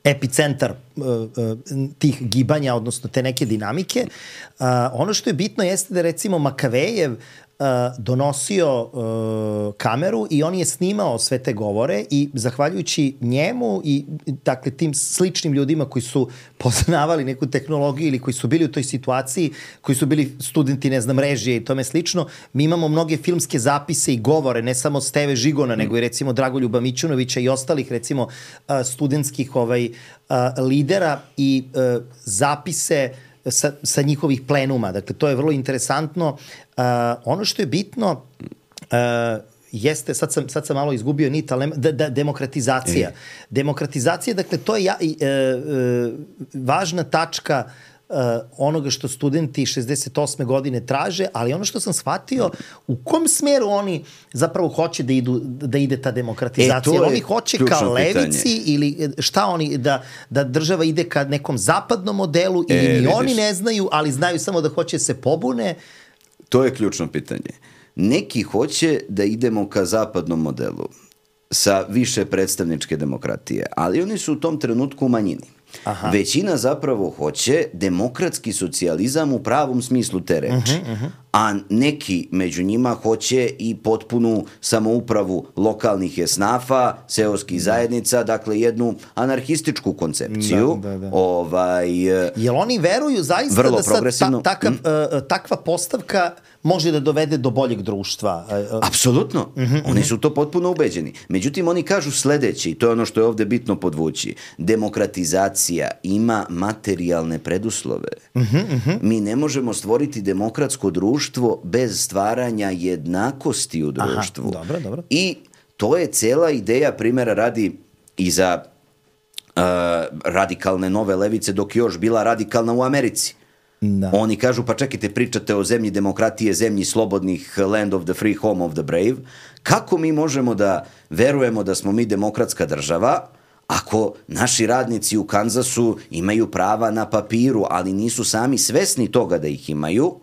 epicentar uh, uh, tih gibanja, odnosno te neke dinamike. Uh, ono što je bitno jeste da recimo Makavejev uh, uh, donosio uh, kameru i on je snimao sve te govore i zahvaljujući njemu i dakle tim sličnim ljudima koji su poznavali neku tehnologiju ili koji su bili u toj situaciji, koji su bili studenti, ne znam, režije i tome slično, mi imamo mnoge filmske zapise i govore, ne samo Steve Žigona, mm. nego i recimo Dragoljuba Mićunovića i ostalih recimo uh, studentskih ovaj, uh, lidera i uh, zapise sa, sa njihovih plenuma. Dakle, to je vrlo interesantno. Uh, ono što je bitno uh, jeste, sad sam, sad sam malo izgubio nit, ali da, da, demokratizacija. E. Demokratizacija, dakle, to je ja, e, e, važna tačka e, onoga što studenti šezdeset osme godine traže, ali ono što sam shvatio, u kom smeru oni zapravo hoće da, idu, da ide ta demokratizacija? E, oni hoće ka levici pitanje. Ili šta oni, da, da država ide ka nekom zapadnom modelu ili e, ni vidiš. Oni ne znaju, ali znaju samo da hoće se pobune? To je ključno pitanje. Neki hoće da idemo ka zapadnom modelu sa više predstavničke demokratije, ali oni su u tom trenutku u manjini. Aha. Većina zapravo hoće demokratski socijalizam u pravom smislu te reči. Uh-huh, uh-huh. A neki među njima hoće i potpunu samoupravu lokalnih esnafa, seoskih zajednica, dakle jednu anarhističku koncepciju. Da, da, da. Ovaj, Jel oni veruju zaista da sad ta, takav, mm. uh, takva postavka može da dovede do boljeg društva? Apsolutno. Uh-huh, oni su to potpuno ubeđeni. Međutim, oni kažu sledeće, i to je ono što je ovde bitno podvući. Demokratizacija ima materijalne preduslove. Uh-huh, uh-huh. Mi ne možemo stvoriti demokratsko društvo bez stvaranja jednakosti u društvu. Aha, dobro, dobro. I to je cela ideja, primjera radi i za uh, radikalne nove levice, dok je još bila radikalna u Americi. Da. Oni kažu, pa čekajte, pričate o zemlji demokratije, zemlji slobodnih, land of the free, home of the brave. Kako mi možemo da verujemo da smo mi demokratska država ako naši radnici u Kanzasu imaju prava na papiru, ali nisu sami svesni toga da ih imaju?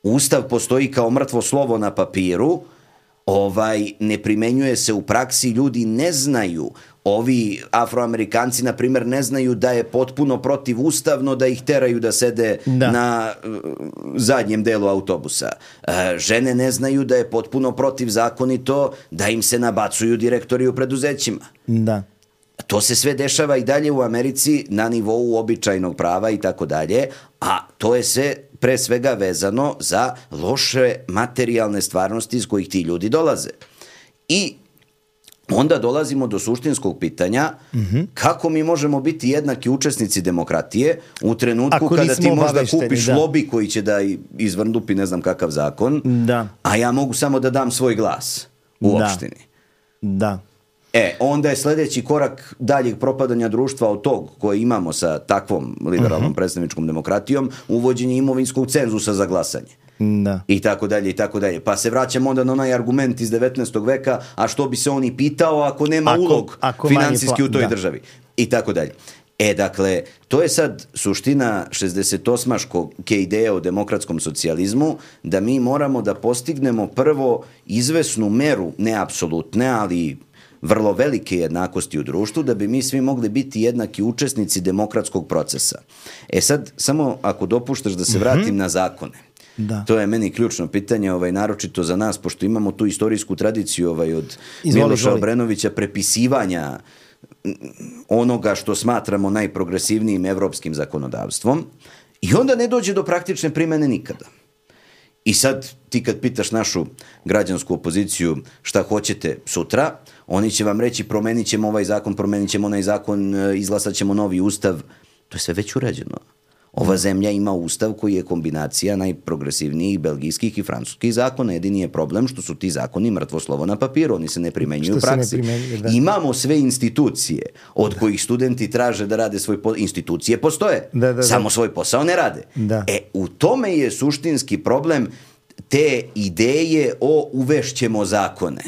Ustav postoji kao mrtvo slovo na papiru, ovaj, ne primenjuje se u praksi, ljudi ne znaju. Ovi Afroamerikanci, na primjer, ne znaju da je potpuno protivustavno da ih teraju da sede da. na uh, zadnjem delu autobusa. Uh, žene ne znaju da je potpuno protivzakonito da im se nabacuju direktori u preduzećima. Da. To se sve dešava i dalje u Americi na nivou običajnog prava i tako dalje, a to je sve pre svega vezano za loše materijalne stvarnosti iz kojih ti ljudi dolaze. I onda dolazimo do suštinskog pitanja mm-hmm. kako mi možemo biti jednaki učesnici demokratije u trenutku Ako kada ti možda kupiš da. lobi koji će da izvrndupi ne znam kakav zakon, da. a ja mogu samo da dam svoj glas u da. opštini. Da. E, onda je sledeći korak daljeg propadanja društva od tog koje imamo sa takvom liberalnom uh-huh. predstavničkom demokratijom, uvođenje imovinskog cenzusa za glasanje. Da. I tako dalje, i tako dalje. Pa se vraćamo onda na onaj argument iz devetnaestog veka, a što bi se on i pitao ako nema ako, ulog ako finansijski pla- u toj da. državi. I tako dalje. E, dakle, to je sad suština šezdesetosmaškog ideje o demokratskom socijalizmu, da mi moramo da postignemo prvo izvesnu meru, ne apsolutne, ali vrlo velike jednakosti u društvu, da bi mi svi mogli biti jednaki učesnici demokratskog procesa. E sad, samo ako dopuštaš da se vratim mm-hmm. na zakone. Da. To je meni ključno pitanje, ovaj, naročito za nas, pošto imamo tu istorijsku tradiciju ovaj, od izvoli, Miloša izvoli. Obrenovića, prepisivanja onoga što smatramo najprogresivnijim evropskim zakonodavstvom, i onda ne dođe do praktične primene nikada. I sad ti kad pitaš našu građansku opoziciju šta hoćete sutra, oni će vam reći promenit ćemo ovaj zakon, promenit ćemo onaj zakon, izglasat ćemo novi ustav. To je sve već urađeno. Ova zemlja ima ustav koji je kombinacija najprogresivnijih belgijskih i francuskih zakona. Jedini je problem što su ti zakoni mrtvo slovo na papiru, oni se ne primenjuju u praksi. Da. Imamo sve institucije od da. kojih studenti traže da rade svoj posao. Institucije postoje, da, da, da. samo svoj posao ne rade. Da. E, u tome je suštinski problem te ideje o uvešćemo zakone.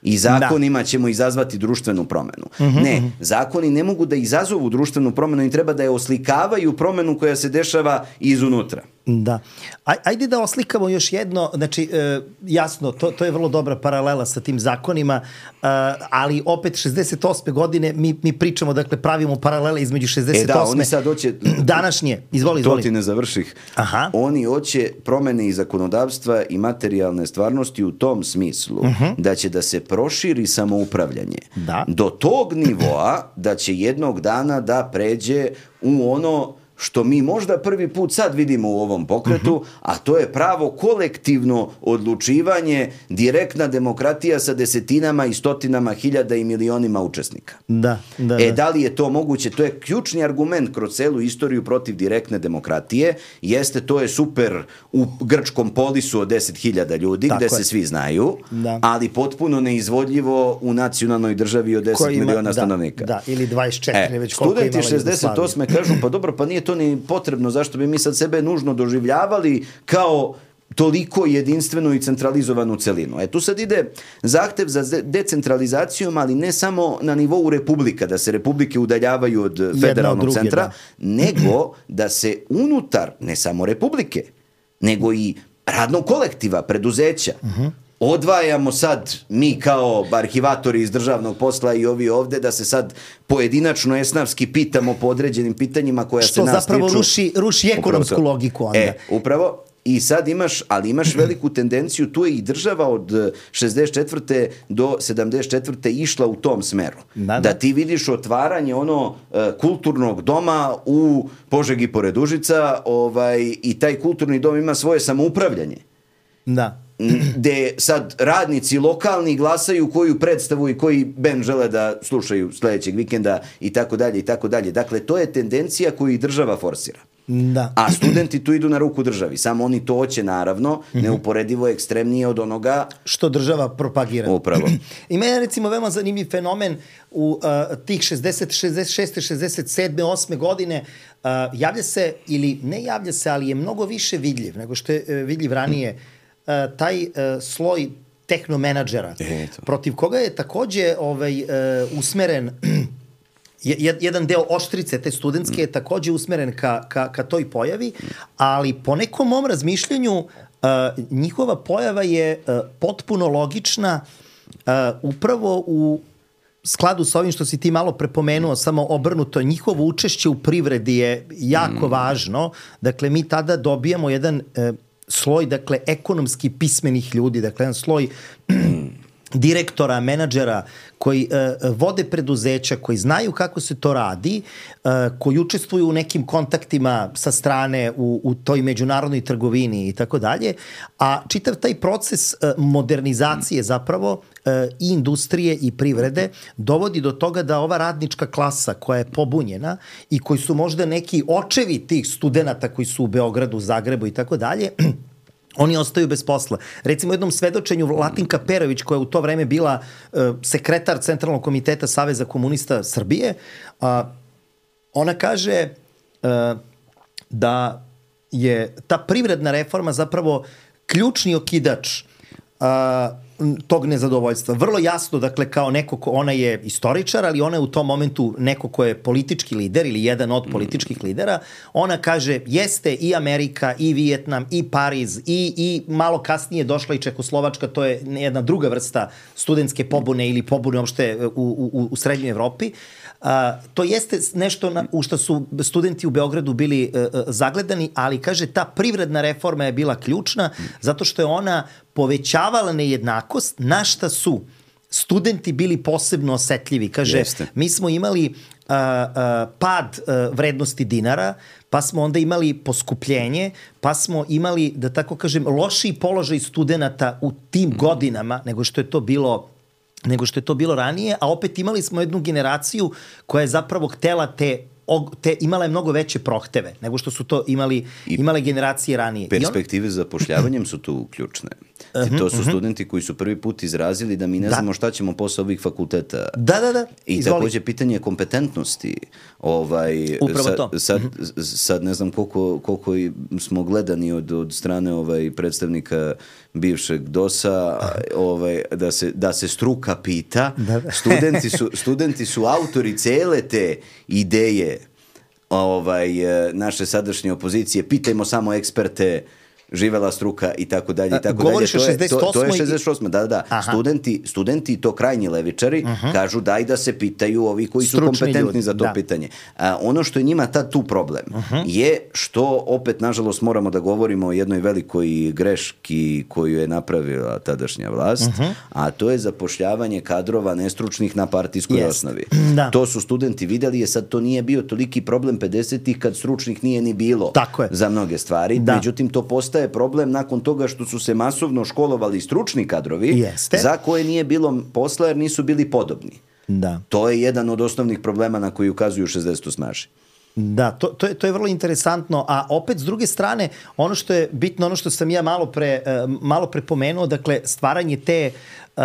I zakonima da. ćemo izazvati društvenu promenu. Uh-huh, ne, uh-huh. zakoni ne mogu da izazovu društvenu promenu i treba da je oslikavaju promenu koja se dešava izunutra. Da. Aj, ajde da oslikamo još jedno, znači e, jasno, to, to je vrlo dobra paralela sa tim zakonima, e, ali opet šezdeset osme godine mi, mi pričamo, dakle pravimo paralele između šezdeset osme. E da, oni sad hoće... Današnje, izvoli, izvoli. To ti ne završih. Aha. Oni hoće promene i zakonodavstva i materijalne stvarnosti u tom smislu uh-huh. da će da se proširi samoupravljanje. Da. Do tog nivoa da će jednog dana da pređe u ono što mi možda prvi put sad vidimo u ovom pokretu, uh-huh. a to je pravo kolektivno odlučivanje, direktna demokratija sa desetinama i stotinama hiljada i milionima učesnika. Da, da, e, da. da li je to moguće? To je ključni argument kroz celu istoriju protiv direktne demokratije. Jeste, to je super u grčkom polisu od deset hiljada ljudi, tako gde je. se svi znaju, da. ali potpuno neizvodljivo u nacionalnoj državi od deset ima, miliona da, stanovnika. Da, ili dvadeset četiri, e, već koliko imala studenti šezdeset osme kažu, pa dobro, pa nije to ni potrebno, zašto bi mi sad sebe nužno doživljavali kao toliko jedinstvenu i centralizovanu celinu. E tu sad ide zahtev za decentralizacijom, ali ne samo na nivou republika, da se republike udaljavaju od federalnog druge, centra, da. nego da se unutar, ne samo republike, nego i radnog kolektiva, preduzeća, uh-huh. odvajamo sad mi kao arhivatori iz državnog posla i ovi ovde da se sad pojedinačno esnavski pitamo po određenim pitanjima koja što se nas tiču. Što zapravo ruši, ruši ekonomsku logiku onda. E, upravo. I sad imaš, ali imaš veliku tendenciju, tu je i država od šezdeset četvrte do sedamdeset četvrte išla u tom smeru. Da, da. da ti vidiš otvaranje ono uh, kulturnog doma u Požegi pored Užica, ovaj, i taj kulturni dom ima svoje samoupravljanje. Da. Gde sad radnici lokalni glasaju koju predstavu i koji bend žele da slušaju sledećeg vikenda i tako dalje i tako dalje. Dakle, to je tendencija koju i država forsira. Da. A studenti tu idu na ruku državi. Samo oni to hoće, naravno, mm-hmm. neuporedivo ekstremnije od onoga što država propagira. Upravo. Ima je, recimo, veoma zanimljiv fenomen u uh, tih šezdeset, šezdeset šeste, šezdeset sedme, osme godine. Uh, javlja se, ili ne javlja se, ali je mnogo više vidljiv nego što je uh, vidljiv ranije. Uh, taj uh, sloj tehnomenadžera, Eto. protiv koga je takođe ovaj, uh, usmeren jedan deo oštrice te studentske je takođe usmeren ka, ka, ka toj pojavi, ali po nekom mom razmišljanju uh, njihova pojava je uh, potpuno logična uh, upravo u skladu sa ovim što si ti malo prepomenuo, samo obrnuto, njihovo učešće u privredi je jako mm. važno. Dakle, mi tada dobijamo jedan uh, sloj, dakle, ekonomski pismenih ljudi, dakle, jedan sloj direktora, menadžera koji uh, vode preduzeća, koji znaju kako se to radi, uh, koji učestvuju u nekim kontaktima sa strane u, u toj međunarodnoj trgovini i tako dalje, a čitav taj proces uh, modernizacije zapravo uh, i industrije i privrede dovodi do toga da ova radnička klasa koja je pobunjena i koji su možda neki očevi tih studenata koji su u Beogradu, Zagrebu i tako dalje, oni ostaju bez posla. Recimo u jednom svedočenju Latinka Perović, koja je u to vreme bila uh, sekretar Centralnog komiteta Saveza komunista Srbije, uh, ona kaže uh, da je ta privredna reforma zapravo ključni okidač uh, tog nezadovoljstva. Vrlo jasno, dakle, kao neko ko, ona je istoričar, ali ona je u tom momentu neko ko je politički lider ili jedan od političkih lidera. Ona kaže, jeste i Amerika, i Vijetnam, i Pariz, i, i malo kasnije došla i Čehoslovačka, to je jedna druga vrsta studentske pobune ili pobune uopšte u, u, u Srednjoj Evropi. Uh, to jeste nešto na, u što su studenti u Beogradu bili uh, uh, zagledani, ali kaže ta privredna reforma je bila ključna zato što je ona povećavala nejednakost, na šta su studenti bili posebno osetljivi. Kaže, jeste. Mi smo imali uh, uh, pad uh, vrednosti dinara, pa smo onda imali poskupljenje, pa smo imali, da tako kažem, lošiji položaj studenata u tim godinama nego što je to bilo nego što je to bilo ranije, a opet imali smo jednu generaciju koja je zapravo htela te, te imala je mnogo veće prohteve nego što su to imali, imale generacije ranije. Perspektive za zapošljavanjem su tu ključne. Uh-huh, to su uh-huh. studenti koji su prvi put izrazili da mi ne da. znamo šta ćemo posle ovih fakulteta. Da, da, da. I Izvoli. Takođe pitanje kompetentnosti. Ovaj, Upravo sad, to. Sad, sad ne znam koliko, koliko smo gledani od, od strane ovaj, predstavnika bivšeg dosa, ovaj, da, se, da se struka pita. Da, da. Studenti, su, studenti su autori cele te ideje ovaj, naše sadašnje opozicije, pitajmo samo eksperte, živela struka i tako dalje i tako Govoriš dalje. o šezdeset osmoj To, to je šezdeset osma Da, da, da. Studenti, studenti, to krajnji levičari, uh-huh. kažu daj da se pitaju ovi koji Stručni su kompetentni ljudi, za to da. pitanje. A, ono što je njima tad tu problem uh-huh. je što opet, nažalost, moramo da govorimo o jednoj velikoj greški koju je napravila tadašnja vlast, uh-huh. a to je zapošljavanje kadrova nestručnih na partijskoj Jest. osnovi. Da. To su studenti vidjeli, je sad to nije bio toliki problem pedesetih kad stručnih nije ni bilo za mnoge stvari. Da. Međutim, to postaje je problem nakon toga što su se masovno školovali stručni kadrovi Jeste. za koje nije bilo posla jer nisu bili podobni. Da. To je jedan od osnovnih problema na koji ukazuju šezdeset osmaši. Da, to, to, je, to je vrlo interesantno, a opet s druge strane, ono što je bitno, ono što sam ja malo pre, malo pre pomenuo, dakle, stvaranje te uh,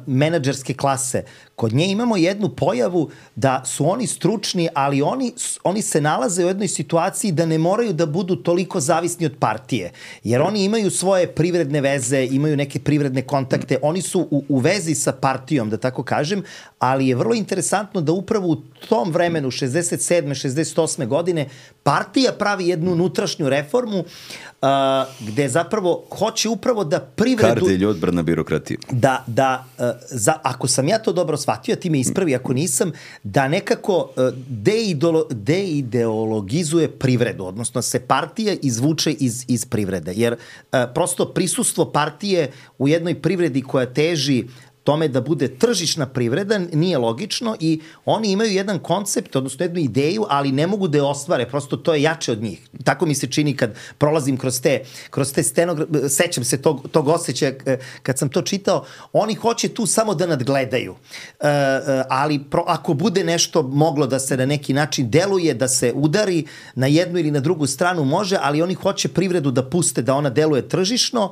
menadžerske klase. Kod nje imamo jednu pojavu da su oni stručni, ali oni, oni se nalaze u jednoj situaciji da ne moraju da budu toliko zavisni od partije. Jer oni imaju svoje privredne veze, imaju neke privredne kontakte, oni su u, u vezi sa partijom, da tako kažem, ali je vrlo interesantno da upravo u tom vremenu, šezdeset sedme šezdeset osme godine, partija pravi jednu unutrašnju reformu uh, gde zapravo hoće upravo da privredu... Kardelj odbrana birokratije. Da, da uh, za, ako sam ja to dobro shvatio, ti me ispravi ako nisam, da nekako uh, deidolo, deideologizuje privredu, odnosno se partija izvuče iz, iz privrede. Jer uh, prosto prisustvo partije u jednoj privredi koja teži tome da bude tržišna privreda nije logično i oni imaju jedan koncept, odnosno jednu ideju, ali ne mogu da je ostvare, prosto to je jače od njih. Tako mi se čini kad prolazim kroz te, kroz te stenograme, sećam se tog, tog osjećaja kad sam to čitao, oni hoće tu samo da nadgledaju. E, ali pro, ako bude nešto moglo da se na neki način deluje, da se udari na jednu ili na drugu stranu može, ali oni hoće privredu da puste da ona deluje tržišno,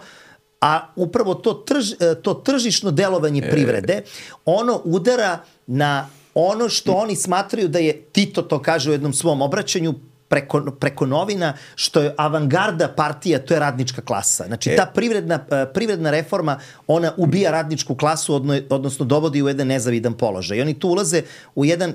a upravo to, trž, to tržišno delovanje privrede, ono udara na ono što oni smatraju da je, Tito to kaže u jednom svom obraćanju preko, preko novina, što je avangarda partija, to je radnička klasa. Znači, ta privredna, privredna reforma, ona ubija radničku klasu, odnosno dovodi u jedan nezavidan položaj. I oni tu ulaze u jedan...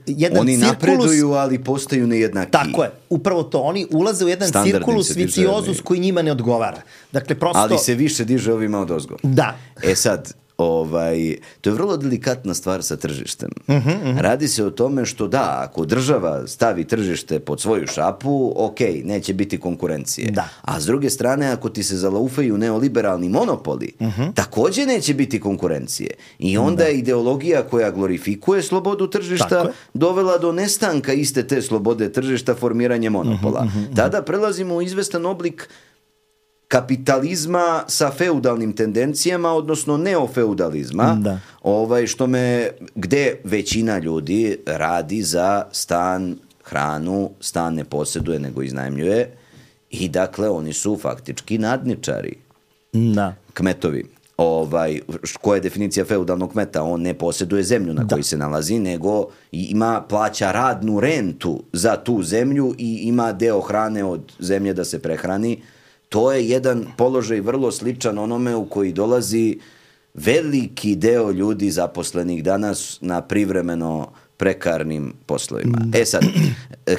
jedan oni cirkulus, napreduju, ali postaju nejednaki. Tako je, upravo to. Oni ulaze u jedan Standardnim cirkulus viciozus koji njima ne odgovara. Dakle, prosto... Ali se više diže ovima od ozgo. Da. E sad, ovaj, to je vrlo delikatna stvar sa tržištem. Uh-huh, uh-huh. Radi se o tome što da, ako država stavi tržište pod svoju šapu, ok, neće biti konkurencije. Da. A s druge strane, ako ti se zalaufaju neoliberalni monopoli, uh-huh. takođe neće biti konkurencije. I onda je ideologija koja glorifikuje slobodu tržišta dovela do nestanka iste te slobode tržišta, formiranje monopola. Uh-huh, uh-huh. Tada prelazimo u izvestan oblik kapitalizma sa feudalnim tendencijama, odnosno neofeudalizma, da. Ovaj, što me, gde većina ljudi radi za stan, hranu, stan ne posjeduje nego iznajmljuje i dakle oni su faktički nadničari. Da. Kmetovi. Ovaj, koja je definicija feudalnog kmeta? On ne posjeduje zemlju na kojoj se nalazi, nego ima, plaća radnu rentu za tu zemlju i ima deo hrane od zemlje da se prehrani. To je jedan položaj vrlo sličan onome u koji dolazi veliki deo ljudi zaposlenih danas na privremeno prekarnim poslovima. E sad,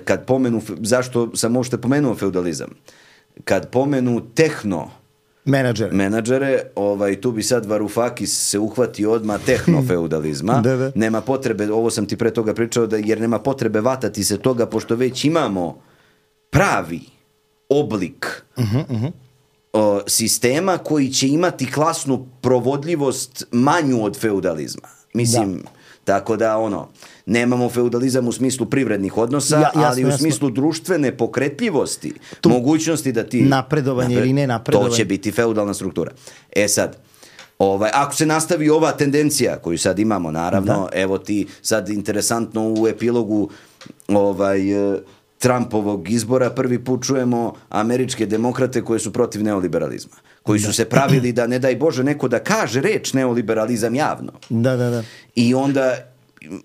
kad pomenu, zašto sam uopšte pomenuo feudalizam? Kad pomenu tehno menadžere, menadžere ovaj, tu bi sad Varoufakis se uhvati odmah tehnofeudalizma. da, da. Nema potrebe, ovo sam ti pre toga pričao, da, jer nema potrebe vatati se toga, pošto već imamo pravi oblik uh-huh, uh-huh. O, sistema koji će imati klasnu provodljivost manju od feudalizma. Mislim, da. Tako da ono, nemamo feudalizam u smislu privrednih odnosa, ja, jasno, ali u jasno. smislu društvene pokretljivosti, tu mogućnosti da ti... Napredovanje napred... ili ne napredovanje. To će biti feudalna struktura. E sad, ovaj, ako se nastavi ova tendencija koju sad imamo, naravno, da. Evo ti sad interesantno u epilogu ovaj... Trumpovog izbora prvi put čujemo američke demokrate koje su protiv neoliberalizma. Koji su da. se pravili da, ne daj Bože, neko da kaže reč neoliberalizam javno. Da, da, da. I onda,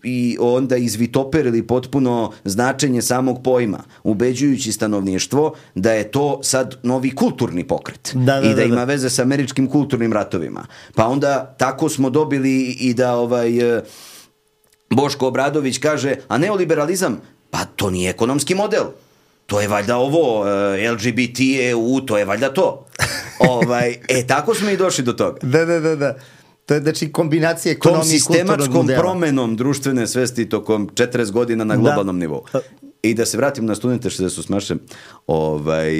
i onda izvitoperili potpuno značenje samog pojma, ubeđujući stanovništvo da je to sad novi kulturni pokret. Da, da, I da, da ima da. veze sa američkim kulturnim ratovima. Pa onda tako smo dobili i da ovaj... Boško Obradović kaže, a neoliberalizam, Pa to nije ekonomski model. To je valjda ovo, uh, L G B T, E U, to je valjda to. ovaj, e, tako smo i došli do toga. Da, da, da, da. To je znači kombinacija ekonomije i kulturnog modela. Tom sistemačkom promenom društvene svesti tokom četrdeset godina na globalnom da. nivou. I da se vratim na studente što su smaše, ovaj,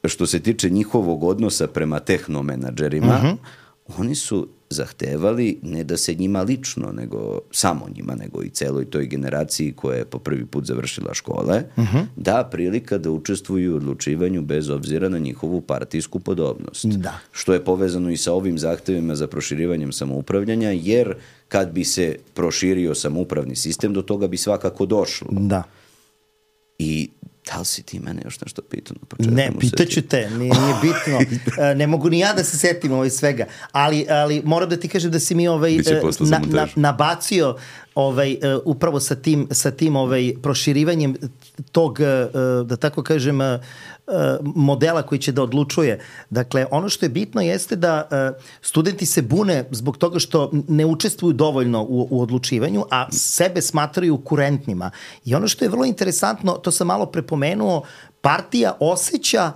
što se tiče njihovog odnosa prema tehnomenadžerima, uh-huh. oni su zahtevali ne da se njima lično, nego samo njima, nego i celoj toj generaciji koja je po prvi put završila škole, uh-huh. da prilika da učestvuju u odlučivanju bez obzira na njihovu partijsku podobnost. Da. Što je povezano i sa ovim zahtevima za proširivanjem samoupravljanja, jer kad bi se proširio samoupravni sistem, do toga bi svakako došlo. Da. I da li si ti mene još nešto pitao? Na ne, pitaću te, nije, nije bitno. Ne mogu ni ja da se setim ovaj svega, ali, ali moram da ti kažem da si mi ovaj, na, na, nabacio ovaj, upravo sa tim, sa tim ovaj, proširivanjem tog, da tako kažem, modela koji će da odlučuje. Dakle, ono što je bitno jeste da studenti se bune zbog toga što ne učestvuju dovoljno u, u odlučivanju, a sebe smatraju kurentnima. I ono što je vrlo interesantno, to sam malo prepomenuo, partija osjeća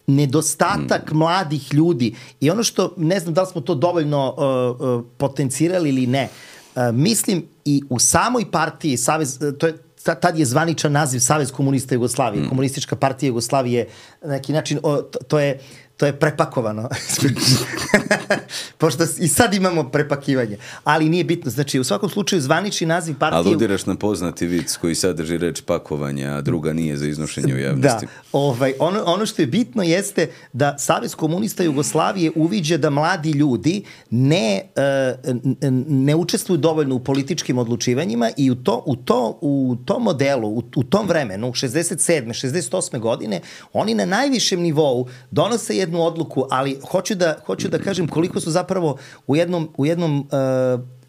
nedostatak mm. mladih ljudi. I ono što, ne znam da li smo to dovoljno uh, uh, potencirali ili ne, uh, mislim i u samoj partiji, Savez, to je tad je zvaničan naziv Savez komunista Jugoslavije. Mm. Komunistička partija Jugoslavije, na neki način, o, to, to je to je prepakovano. Pošto i sad imamo prepakivanje. Ali nije bitno. Znači, u svakom slučaju zvanični naziv partije... Aludiraš na poznati vic koji sadrži reč pakovanja, a druga nije za iznošenje u javnosti. Da. Ovaj, ono, ono što je bitno jeste da Savez komunista Jugoslavije uviđa da mladi ljudi ne, ne učestvuju dovoljno u političkim odlučivanjima i u, to, u, to, u tom modelu, u, u tom vremenu, šezdeset sedme šezdeset osme godine, oni na najvišem nivou donose jednu odluku, ali hoću da, hoću da kažem koliko su zapravo u jednom, u jednom uh,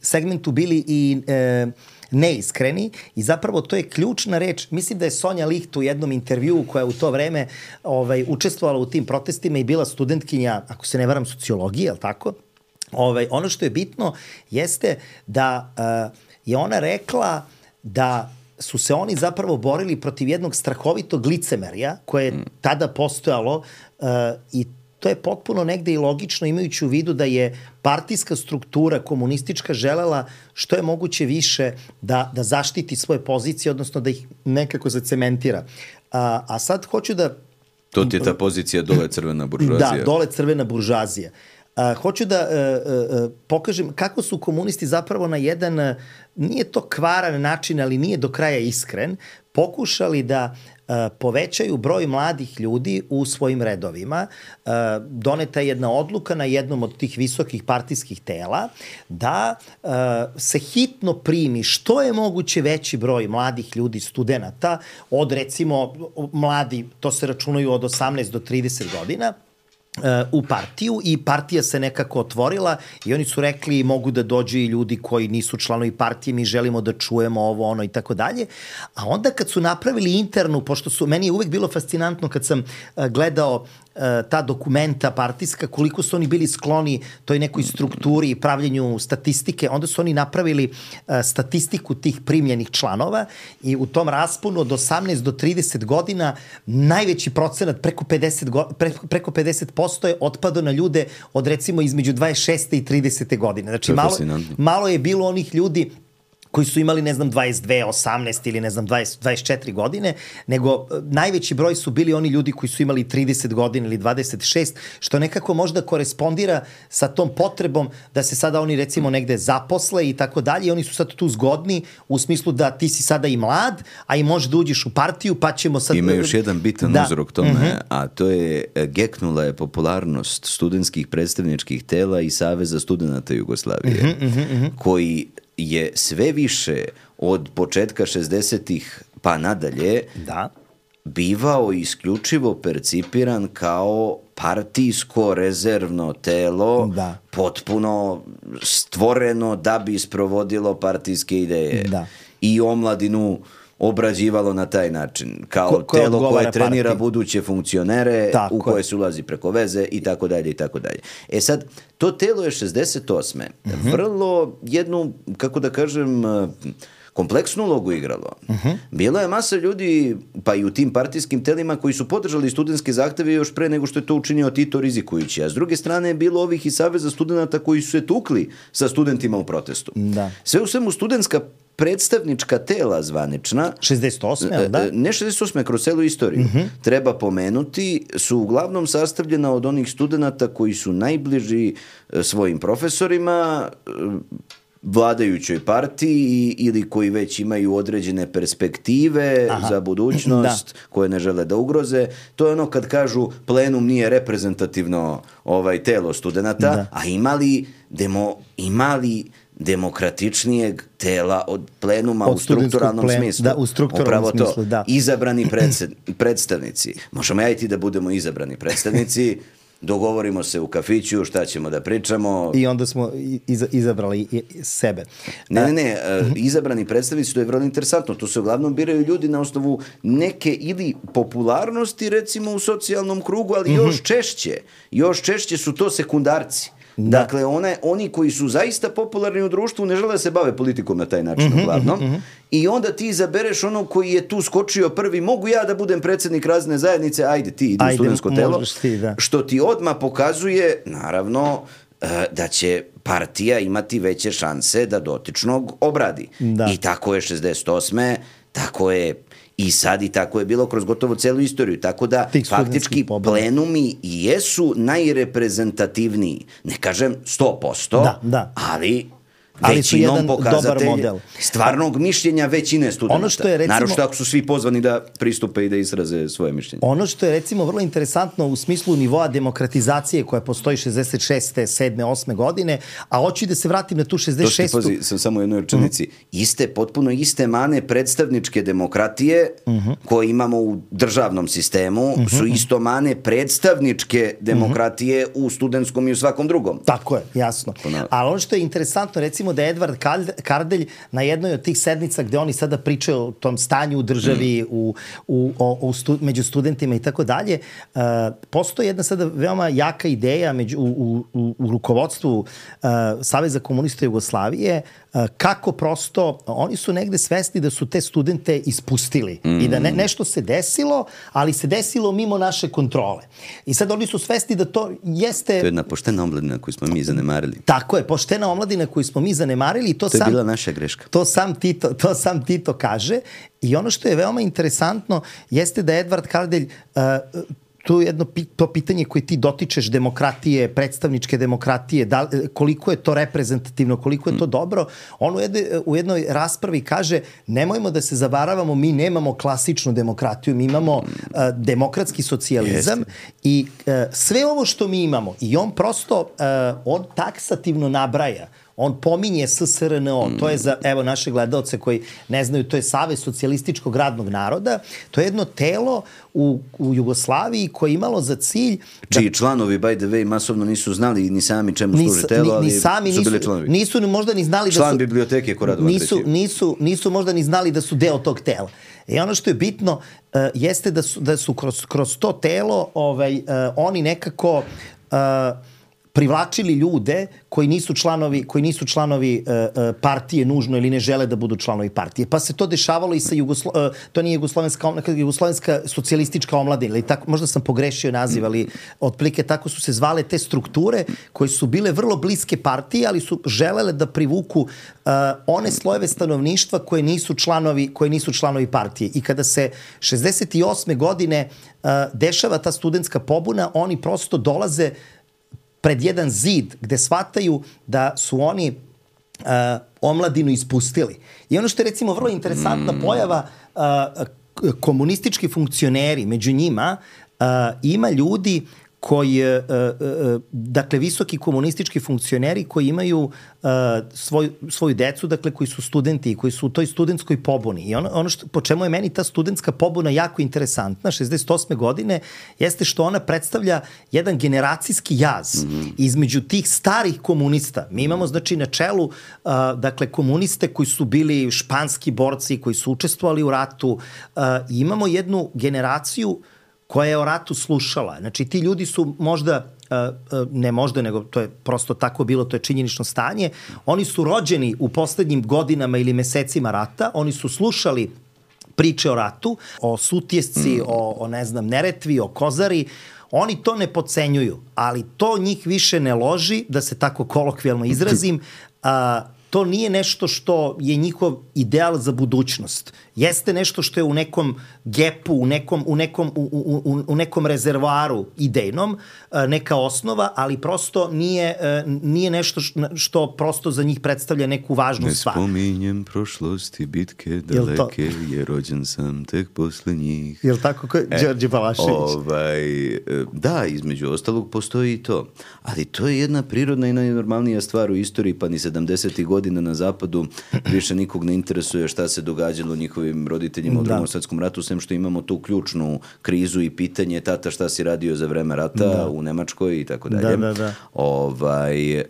segmentu bili i uh, neiskreni i zapravo to je ključna reč. Mislim da je Sonja Licht u jednom intervjuu koja je u to vreme ovaj, učestvovala u tim protestima i bila studentkinja, ako se ne varam, sociologije, je li tako? Ovaj, ono što je bitno jeste da uh, je ona rekla da su se oni zapravo borili protiv jednog strahovitog licemerja koje je tada postojalo uh, i to je potpuno negde i logično imajući u vidu da je partijska struktura komunistička želela što je moguće više da, da zaštiti svoje pozicije, odnosno da ih nekako zacementira. A, a sad hoću da... To ti je ta pozicija dole crvena buržuazija. Da, dole crvena buržuazija. Uh, hoću da uh, uh, pokažem kako su komunisti zapravo na jedan, uh, nije to kvaran način, ali nije do kraja iskren, pokušali da uh, povećaju broj mladih ljudi u svojim redovima. Uh, doneta je jedna odluka na jednom od tih visokih partijskih tela da uh, se hitno primi što je moguće veći broj mladih ljudi, studenata, od recimo mladi, to se računaju od osamnaest do trideset godina, u partiju i partija se nekako otvorila i oni su rekli mogu da dođu i ljudi koji nisu članovi partije, mi želimo da čujemo ovo, ono i tako dalje. A onda kad su napravili internu, pošto su, meni je uvek bilo fascinantno kad sam gledao ta dokumenta partijska, koliko su oni bili skloni toj nekoj strukturi i pravljenju statistike, onda su oni napravili statistiku tih primljenih članova i u tom rasponu od osamnaest do trideset godina najveći procenat, preko pedeset, preko, preko pedeset posto je otpadao na ljude od recimo između dvadeset šeste i tridesete godine. Znači malo, malo je bilo onih ljudi koji su imali, ne znam, dvadeset dve, osamnaest ili, ne znam, dvadeset, dvadeset četiri godine, nego najveći broj su bili oni ljudi koji su imali trideset godina ili dvadeset šest, što nekako možda korespondira sa tom potrebom da se sada oni, recimo, negde zaposle i tako dalje i oni su sad tu zgodni u smislu da ti si sada i mlad, a i možeš da uđeš u partiju, pa ćemo sad... Ima još jedan bitan da. uzrok tome, uh-huh. a to je, geknula je popularnost studentskih predstavničkih tela i Saveza studenta Jugoslavije, uh-huh, uh-huh, uh-huh. koji je sve više od početka šezdesetih pa nadalje da. bivao isključivo percipiran kao partijsko rezervno telo, da. potpuno stvoreno da bi sprovodilo partijske ideje. Da. I omladinu obrađivalo na taj način, kao ko, ko telo koje trenira partiji. Buduće funkcionere, tako u koje se ulazi preko veze i tako dalje i tako dalje. E sad, to telo je šezdeset osme Mm-hmm. vrlo jednu, kako da kažem, kompleksnu ulogu igralo. Uh-huh. Bila je masa ljudi, pa i u tim partijskim telima, koji su podržali studentske zahteve još pre nego što je to učinio Tito rizikujući. A s druge strane je bilo ovih iz Saveza studenta koji su se tukli sa studentima u protestu. Da. Sve u svemu studentska predstavnička tela zvanična, šezdeset osme da? Ne šezdeset osme kroz celu istoriju, uh-huh. treba pomenuti, su uglavnom sastavljena od onih studenta koji su najbliži svojim profesorima, vladajućoj partiji ili koji već imaju određene perspektive Aha. za budućnost da. koje ne žele da ugroze. To je ono kad kažu plenum nije reprezentativno ovaj telo studenta, da. a imali demo, imali demokratičnijeg tela od plenuma od u strukturalnom plen, smislu. Da, u strukturalnom Upravo smislu, to, da. Izabrani predsed, predstavnici. Možemo ja i ti da budemo izabrani predstavnici, dogovorimo se u kafiću šta ćemo da pričamo. I onda smo iza, izabrali sebe. Ne, ne, ne, izabrani predstavnici, to je vrlo interesantno. To se uglavnom biraju ljudi na osnovu neke ili popularnosti, recimo u socijalnom krugu, ali još češće. Još češće su to sekundarci. Da. Dakle, one, oni koji su zaista popularni u društvu ne žele da se bave politikom na taj način, uh-huh, uglavnom. Uh-huh. I onda ti izabereš onog koji je tu skočio prvi, mogu ja da budem predsjednik razne zajednice, ajde ti, idi u studentsko telo. Ti, da. Što ti odmah pokazuje, naravno, da će partija imati veće šanse da dotičnog obradi. Da. I tako je šezdeset osme tako je i sad i tako je bilo kroz gotovo celu istoriju. Tako da faktički plenumi i jesu najreprezentativniji. Ne kažem sto posto, da, da. ali... ali su jedan dobar model. Stvarnog mišljenja većine studenta. Ono što je, recimo, naravno ako su svi pozvani da pristupe i da izraze svoje mišljenje. Ono što je recimo vrlo interesantno u smislu nivoa demokratizacije koja postoji šezdeset šeste, sedme, osme godine, a hoću da se vratim na tu šezdeset šestu. To što ti pazi, sam samo u jednoj rečenici. Uh-huh. Iste, potpuno iste mane predstavničke demokratije uh-huh. koje imamo u državnom sistemu uh-huh. su isto mane predstavničke demokratije uh-huh. u studentskom i u svakom drugom. Tako je, jasno. Ali ono što je interesantno, recimo da je Edvard Kardelj na jednoj od tih sednica gde oni sada pričaju o tom stanju u državi, mm. u, u, o, o stu, među studentima i tako dalje, postoji jedna sada veoma jaka ideja među, u, u, u rukovodstvu uh, Saveza komunista Jugoslavije, uh, kako prosto, oni su negde svesni da su te studente ispustili mm. i da ne, nešto se desilo, ali se desilo mimo naše kontrole. I sad oni su svesni da to jeste... To je jedna poštena omladina koju smo mi zanemarili. Tako je, poštena omladina koju smo mi zanemarili i to, to je sam, bila naša greška. To sam, Tito, to sam Tito kaže i ono što je veoma interesantno jeste da Edvard Kardelj uh, to je jedno to pitanje koje ti dotičeš demokratije, predstavničke demokratije, da, koliko je to reprezentativno, koliko je to dobro. On u jednoj, u jednoj raspravi kaže nemojmo da se zavaravamo, mi nemamo klasičnu demokratiju, mi imamo uh, demokratski socijalizam Jeste. i uh, sve ovo što mi imamo i on prosto, uh, on taksativno nabraja. On pominje S S R N O, to je za, evo, naše gledalce koji ne znaju, to je Savez socijalističkog radnog naroda, to je jedno telo u, u Jugoslaviji koje je imalo za cilj... Čiji da, članovi, by the way, masovno nisu znali ni sami čemu služi telo, ali ni, ni sami su bili članovi. Nisu ni možda ni znali Član da su... Član biblioteke Koradova nisu, nisu, nisu možda ni znali da su deo tog tela. I ono što je bitno uh, jeste da su, da su kroz, kroz to telo ovaj, uh, oni nekako... Uh, privlačili ljude koji nisu članovi, koji nisu članovi uh, uh, partije nužno ili ne žele da budu članovi partije. Pa se to dešavalo i sa Jugoslo... Uh, to nije Jugoslovenska, Jugoslovenska socijalistička omladina, ili tako, možda sam pogrešio naziv, ali otprilike tako su se zvale te strukture koje su bile vrlo bliske partiji, ali su želele da privuku uh, one slojeve stanovništva koje nisu članovi, koje nisu članovi partije. I kada se šezdeset osme godine uh, dešava ta studentska pobuna, oni prosto dolaze pred jedan zid gde shvataju da su oni uh, omladinu ispustili. I ono što je recimo vrlo interesantna pojava, uh, komunistički funkcioneri, među njima uh, ima ljudi koji, uh, uh, dakle, visoki komunistički funkcioneri koji imaju uh, svoj, svoju decu, dakle, koji su studenti i koji su u toj studentskoj pobuni. I ono, ono što, po čemu je meni ta studentska pobuna jako interesantna, šezdeset osme godine, jeste što ona predstavlja jedan generacijski jaz mm-hmm. između tih starih komunista. Mi imamo, znači, na čelu, uh, dakle, komuniste koji su bili španski borci, koji su učestvovali u ratu. Uh, imamo jednu generaciju koja je o ratu slušala. Znači, ti ljudi su možda ne možda, nego to je prosto tako bilo, to je činjenično stanje, oni su rođeni u poslednjim godinama ili mesecima rata, oni su slušali priče o ratu, o Sutjesci, mm. o, o ne znam, Neretvi, o Kozari. Oni to ne podcenjuju, ali to njih više ne loži, da se tako kolokvijalno izrazim, a, to nije nešto što je njihov ideal za budućnost. Jeste nešto što je u nekom gepu, u nekom, u nekom, u, u, u nekom rezervoaru idejnom, neka osnova, ali prosto nije, nije nešto što prosto za njih predstavlja neku važnu ne stvar. Ne spominjem prošlosti, bitke daleke, jer rođen sam tek posle njih. Jel tako ko Đorđe Balašević? Ovaj, da, između ostalog postoji i to. Ali to je jedna prirodna i najnormalnija stvar u istoriji, pa ni sedamdesetih godina na zapadu više nikog ne interesuje šta se događalo njihovim roditeljima u drugom svetskom ratu, sem što imamo tu ključnu krizu i pitanje tata šta si radio za vreme rata da. u Nemačkoj i tako dalje. Da, da, da. Ovaj,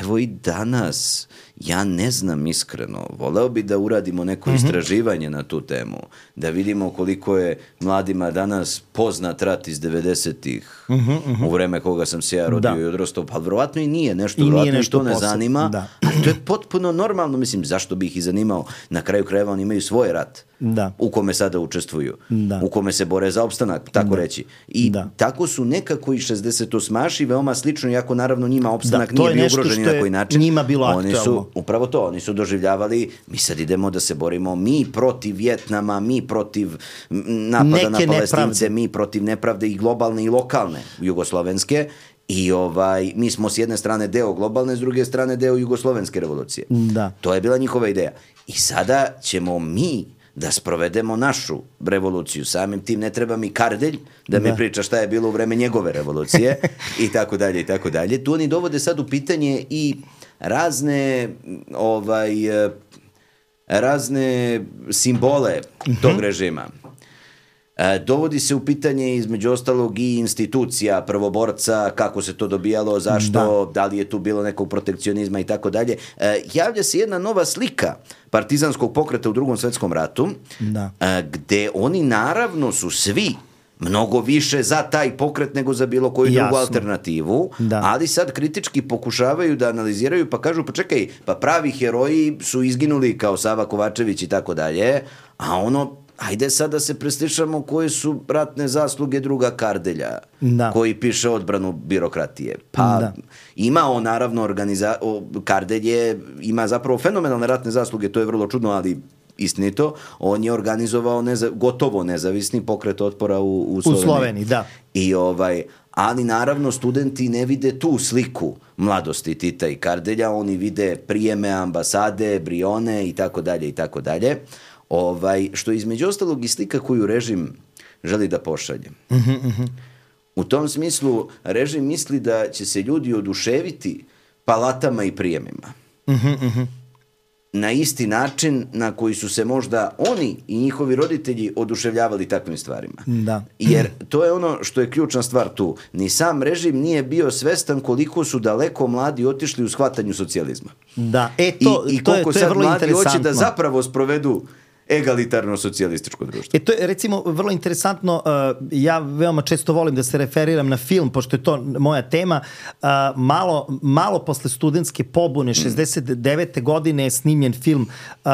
evo i danas, ja ne znam iskreno, voleo bi da uradimo neko mm-hmm. istraživanje na tu temu, da vidimo koliko je mladima danas poznat rat iz devedesetih mm-hmm, mm-hmm. u vreme koga sam se ja rodio da. i odrastao, pa vjerovatno i nije nešto, vjerovatno i to ne posao. zanima, da. ali to je potpuno normalno, mislim, zašto bi ih i zanimao, na kraju krajeva oni imaju svoj rat. Da. U kome sada učestvuju, da. u kome se bore za opstanak, tako da. reći. I da. tako su nekako i šezdesetosmaši veoma slično, iako naravno njima opstanak da, nije bio ugrožen ni na koji način. Njima bilo oni aktualno. Su, upravo to, oni su doživljavali, mi sad idemo da se borimo, mi protiv Vjetnama, mi protiv napada Neke na Palestince, nepravde. mi protiv nepravde i globalne i lokalne jugoslovenske. I ovaj, mi smo s jedne strane deo globalne, s druge strane deo jugoslovenske revolucije. Da. To je bila njihova ideja. I sada ćemo mi da sprovedemo našu revoluciju. Samim tim ne treba mi Kardelj da mi da. priča šta je bilo u vreme njegove revolucije i tako dalje i tako dalje. Tu oni dovode sad u pitanje i razne ovaj razne simbole tog uh-huh. režima. E, dovodi se u pitanje između ostalog i institucija prvoborca, kako se to dobijalo, zašto, da, da li je tu bilo nekog protekcionizma i tako dalje. E, javlja se jedna nova slika partizanskog pokreta u drugom svetskom ratu, da. e, gde oni naravno su svi mnogo više za taj pokret nego za bilo koju Jasno. drugu alternativu, da. ali sad kritički pokušavaju da analiziraju pa kažu, pa čekaj, pa pravi heroji su izginuli kao Sava Kovačević i tako dalje, a ono, ajde sad da se preslišamo koje su ratne zasluge druga Kardelja, da. koji piše odbranu birokratije. Pa da. ima on naravno organiza... Kardelj je, ima zapravo fenomenalne ratne zasluge, to je vrlo čudno, ali istinito, on je organizovao neza, gotovo nezavisni pokret otpora u, u Sloveniji. U Sloveniji, da. I ovaj, ali naravno studenti ne vide tu sliku mladosti Tita i Kardelja, oni vide prijeme, ambasade, Brione i tako dalje i tako dalje. Ovaj, što je između ostalog i slika koju režim želi da pošalje. Uh-huh, uh-huh. U tom smislu režim misli da će se ljudi oduševiti palatama i prijemima. Uh-huh, uh-huh. Na isti način na koji su se možda oni i njihovi roditelji oduševljavali takvim stvarima. Da. Jer to je ono što je ključna stvar tu. Ni sam režim nije bio svestan koliko su daleko mladi otišli u shvatanju socijalizma. Da, e to, I, i to, je, to je vrlo interesantno. I koliko sad mladi hoće da zapravo sprovedu egalitarno socijalističko društvo. E to je recimo vrlo interesantno, uh, ja veoma često volim da se referiram na film, pošto je to moja tema, uh, malo, malo posle studentske pobune, šezdeset devete godine je snimljen film uh,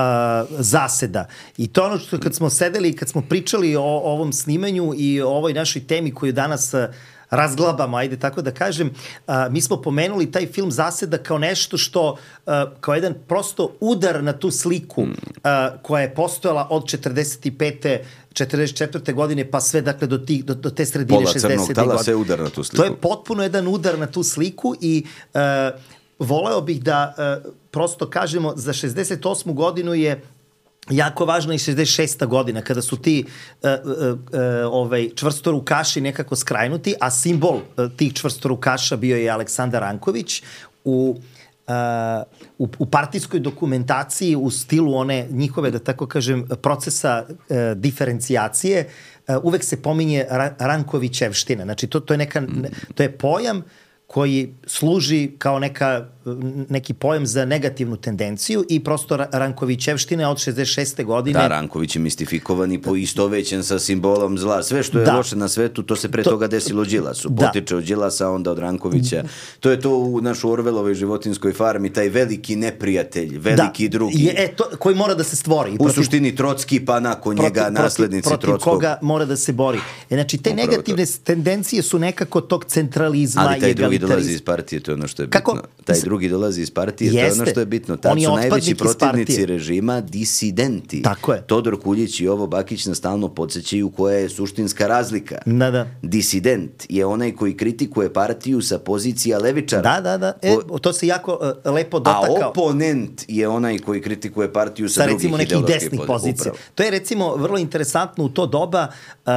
Zaseda. I to ono što kad smo sedeli i kad smo pričali o, o ovom snimanju i o ovoj našoj temi koju danas uh, razglabamo, ajde tako da kažem, a, mi smo pomenuli taj film Zaseda kao nešto što, a, kao jedan prosto udar na tu sliku a, koja je postojala od četrdeset pete četrdeset četvrte godine pa sve dakle do, tih, do, do te sredine šezdesetih godine. Pola crnog tala, sve udar na tu sliku. To je potpuno jedan udar na tu sliku i a, voleo bih da a, prosto kažemo za šezdeset osmu godinu je jako važna i šezdeset šesta godina, kada su ti uh, uh, uh, ovaj, čvrstorukaši nekako skrajnuti, a simbol uh, tih čvrstorukaša bio je Aleksandar Ranković u, uh, u, u partijskoj dokumentaciji u stilu one njihove, da tako kažem, procesa uh, diferencijacije, uh, uvek se pominje ra- Rankovićevština. Znači, to, to, je neka, to je pojam koji služi kao neka neki pojam za negativnu tendenciju i prosto Rankovićevština od šezdeset šeste godine. Da, Ranković je mistifikovan i poistovećen sa simbolom zla. Sve što je da. loše na svetu, to se pre to, toga desilo Đilasu. Da. Potiče od Đilasa, onda od Rankovića. To je to u našoj Orvelovoj životinskoj farmi, taj veliki neprijatelj, veliki da. drugi. Je, e, to, koji mora da se stvori. U protiv, suštini Trocki, pa nakon protiv, njega naslednici protiv, Trockog. Protiv koga mora da se bori. E, znači, te Upravo negativne to. tendencije su nekako tog centralizma. Ali taj drugi dolazi iz partije, to je ono što je Kako? bitno. Taj drugi dolazi iz partije, Jeste. to je ono što je bitno. Tad su najveći protivnici režima disidenti. Tako je. Todor Kuljić i Jovo Bakić nas stalno podsjećaju koja je suštinska razlika. Da, da. Disident je onaj koji kritikuje partiju sa pozicija levičara. Da, da, da. E, to se jako uh, lepo dotakao. A oponent je onaj koji kritikuje partiju sa, sa drugih ideoloških desnih pozicija. To je recimo vrlo interesantno u to doba uh,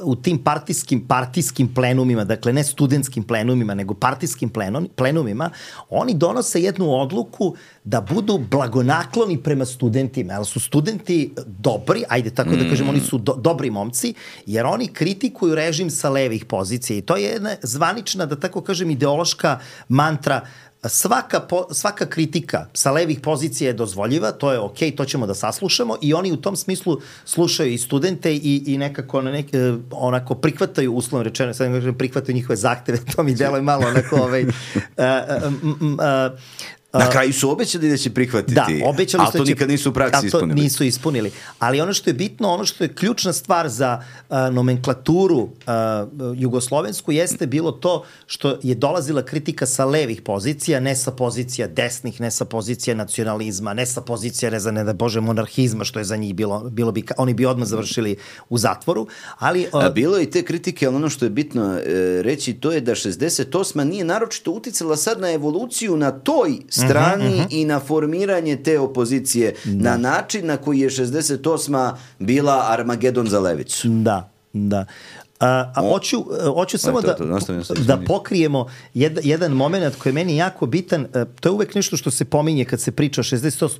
u tim partijskim, partijskim plenumima, dakle ne studentskim plenumima, nego partijskim plenum, plenumima, oni donose jednu odluku da budu blagonakloni prema studentima, jer su studenti dobri, ajde tako da kažem, oni su do, dobri momci, jer oni kritikuju režim sa levih pozicija i to je jedna zvanična, da tako kažem, ideološka mantra. Svaka, po, svaka kritika sa levih pozicija je dozvoljiva, to je okej, to ćemo da saslušamo i oni u tom smislu slušaju i studente i, i nekako nek, onako prihvataju, uslovno rečeno, sad ne kažem prihvataju njihove zahteve, to mi deluje malo onako ovaj... Uh, uh, uh, Na kraju su obećali da će prihvatiti, da, obećali ali to će, nikad nisu u praksi ispunili. to nisu ispunili. Ali ono što je bitno, ono što je ključna stvar za uh, nomenklaturu uh, jugoslovensku jeste bilo to što je dolazila kritika sa levih pozicija, ne sa pozicija desnih, ne sa pozicija nacionalizma, ne sa pozicija, ne za ne da bože, monarhizma, što je za njih bilo, bilo bi, oni bi odmah završili u zatvoru. Ali, uh, A bilo je i te kritike, ali ono što je bitno e, reći, to je da šezdeset osma nije naročito uticala sad na evoluciju na toj strani uh-huh, uh-huh. i na formiranje te opozicije da. na način na koji je šezdeset osma bila Armagedon za levicu. Da, da. A, a hoću, hoću samo to, to, da, da pokrijemo jed, jedan moment koji je meni jako bitan. To je uvek nešto što se pominje kad se priča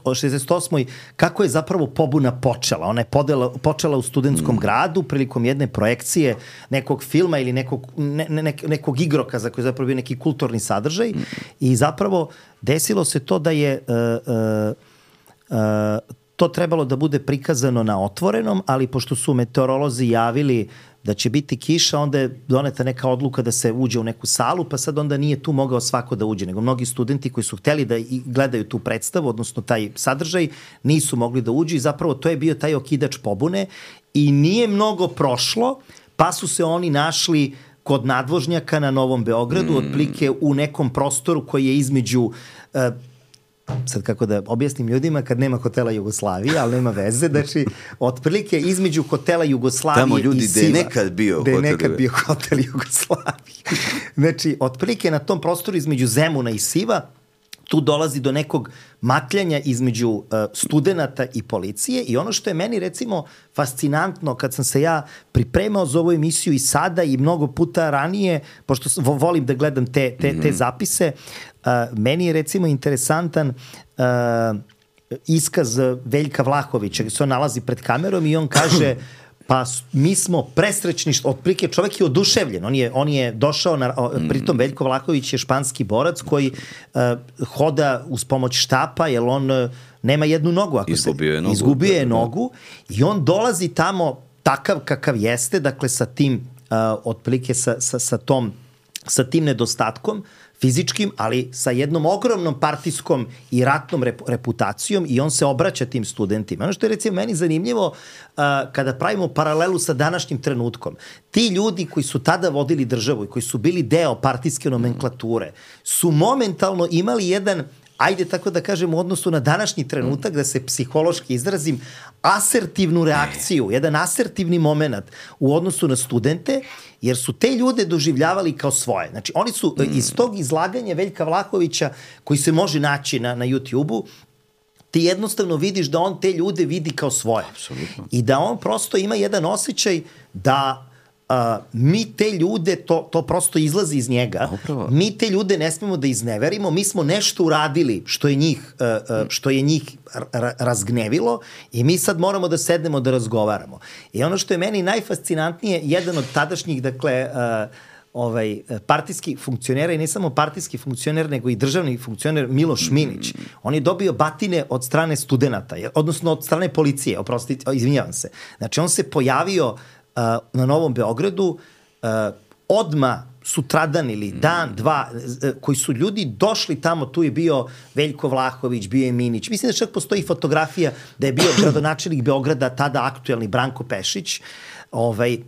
o šezdeset osmoj kako je zapravo pobuna počela. Ona je podela, počela u studentskom mm. gradu prilikom jedne projekcije nekog filma ili nekog, ne, ne, nekog igrokaza koji je zapravo bio neki kulturni sadržaj mm. i zapravo desilo se to da je uh, uh, uh, to trebalo da bude prikazano na otvorenom, ali pošto su meteorolozi javili da će biti kiša, onda je doneta neka odluka da se uđe u neku salu, pa sad onda nije tu mogao svako da uđe, nego mnogi studenti koji su hteli da gledaju tu predstavu, odnosno taj sadržaj, nisu mogli da uđu i zapravo to je bio taj okidač pobune i nije mnogo prošlo, pa su se oni našli kod nadvožnjaka na Novom Beogradu, mm. otprilike u nekom prostoru koji je između... Uh, sad kako da objasnim ljudima kad nema hotela Jugoslavije, ali nema veze, znači otprilike između hotela Jugoslavije tamo ljudi i Siva. Tamo ljudi gde je nekad bio hotel. Gde je nekad bio hotel Jugoslavije. Znači, otprilike na tom prostoru između Zemuna i Siva tu dolazi do nekog matljanja između uh, studenata i policije i ono što je meni recimo fascinantno kad sam se ja pripremao za ovu emisiju i sada i mnogo puta ranije, pošto volim da gledam te, te, te zapise, uh, meni je recimo interesantan uh, iskaz Veljka Vlahovića gde se on nalazi pred kamerom i on kaže pa mi smo presrećni, otprilike čovjek je oduševljen, on je, on je došao, na, pritom Veljko Vlahović je španski borac koji uh, hoda uz pomoć štapa, jer on uh, nema jednu nogu. Ako izgubio je nogu. Izgubio je nogu i on dolazi tamo takav kakav jeste, dakle sa tim, uh, otprilike sa, sa, sa, tom, sa tim nedostatkom, fizičkim, ali sa jednom ogromnom partijskom i ratnom rep reputacijom i on se obraća tim studentima. Ono što je recimo meni zanimljivo uh, kada pravimo paralelu sa današnjim trenutkom. Ti ljudi koji su tada vodili državu i koji su bili deo partijske nomenklature su momentalno imali jedan, ajde tako da kažem, u odnosu na današnji trenutak, da se psihološki izrazim, asertivnu reakciju, jedan asertivni moment u odnosu na studente, jer su te ljude doživljavali kao svoje. Znači, oni su iz tog izlaganja Veljka Vlahovića, koji se može naći na, na YouTube-u, ti jednostavno vidiš da on te ljude vidi kao svoje. Absolutno. I da on prosto ima jedan osjećaj da Uh, mi te ljude, to, to prosto izlazi iz njega, Upravo. mi te ljude ne smemo da izneverimo, mi smo nešto uradili što je njih, uh, uh, što je njih razgnevilo i mi sad moramo da sednemo da razgovaramo. I ono što je meni najfascinantnije, jedan od tadašnjih, dakle, uh, ovaj, partijski funkcionera i ne samo partijski funkcioner, nego i državni funkcioner Miloš Minić. On je dobio batine od strane studenata, odnosno od strane policije, oprostite, izvinjavam se. Znači, on se pojavio uh, na Novom Beogradu uh, odma sutradan ili dan, dva, koji su ljudi došli tamo, tu je bio Veljko Vlahović, bio je Minić. Mislim da čak postoji fotografija da je bio gradonačelnik Beograda, tada aktuelni Branko Pešić. Ovaj,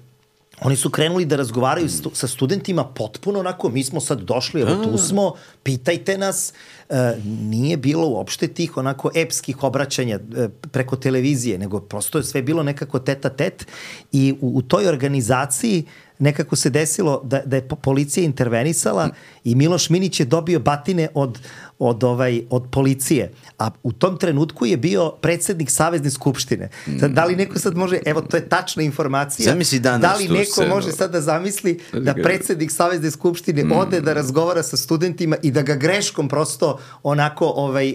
oni su krenuli da razgovaraju stu, sa studentima potpuno onako, mi smo sad došli, evo tu smo, pitajte nas. E, nije bilo uopšte tih onako epskih obraćanja e, preko televizije, nego prosto je sve bilo nekako tet a tet i u, u toj organizaciji nekako se desilo da, da je policija intervenisala i Miloš Minić je dobio batine od, od, ovaj, od policije. A u tom trenutku je bio predsednik Savezne skupštine. Sad, da li neko sad može, evo to je tačna informacija, da li neko scenu. može sad da zamisli da predsednik Savezne skupštine mm. ode da razgovara sa studentima i da ga greškom prosto onako ovaj,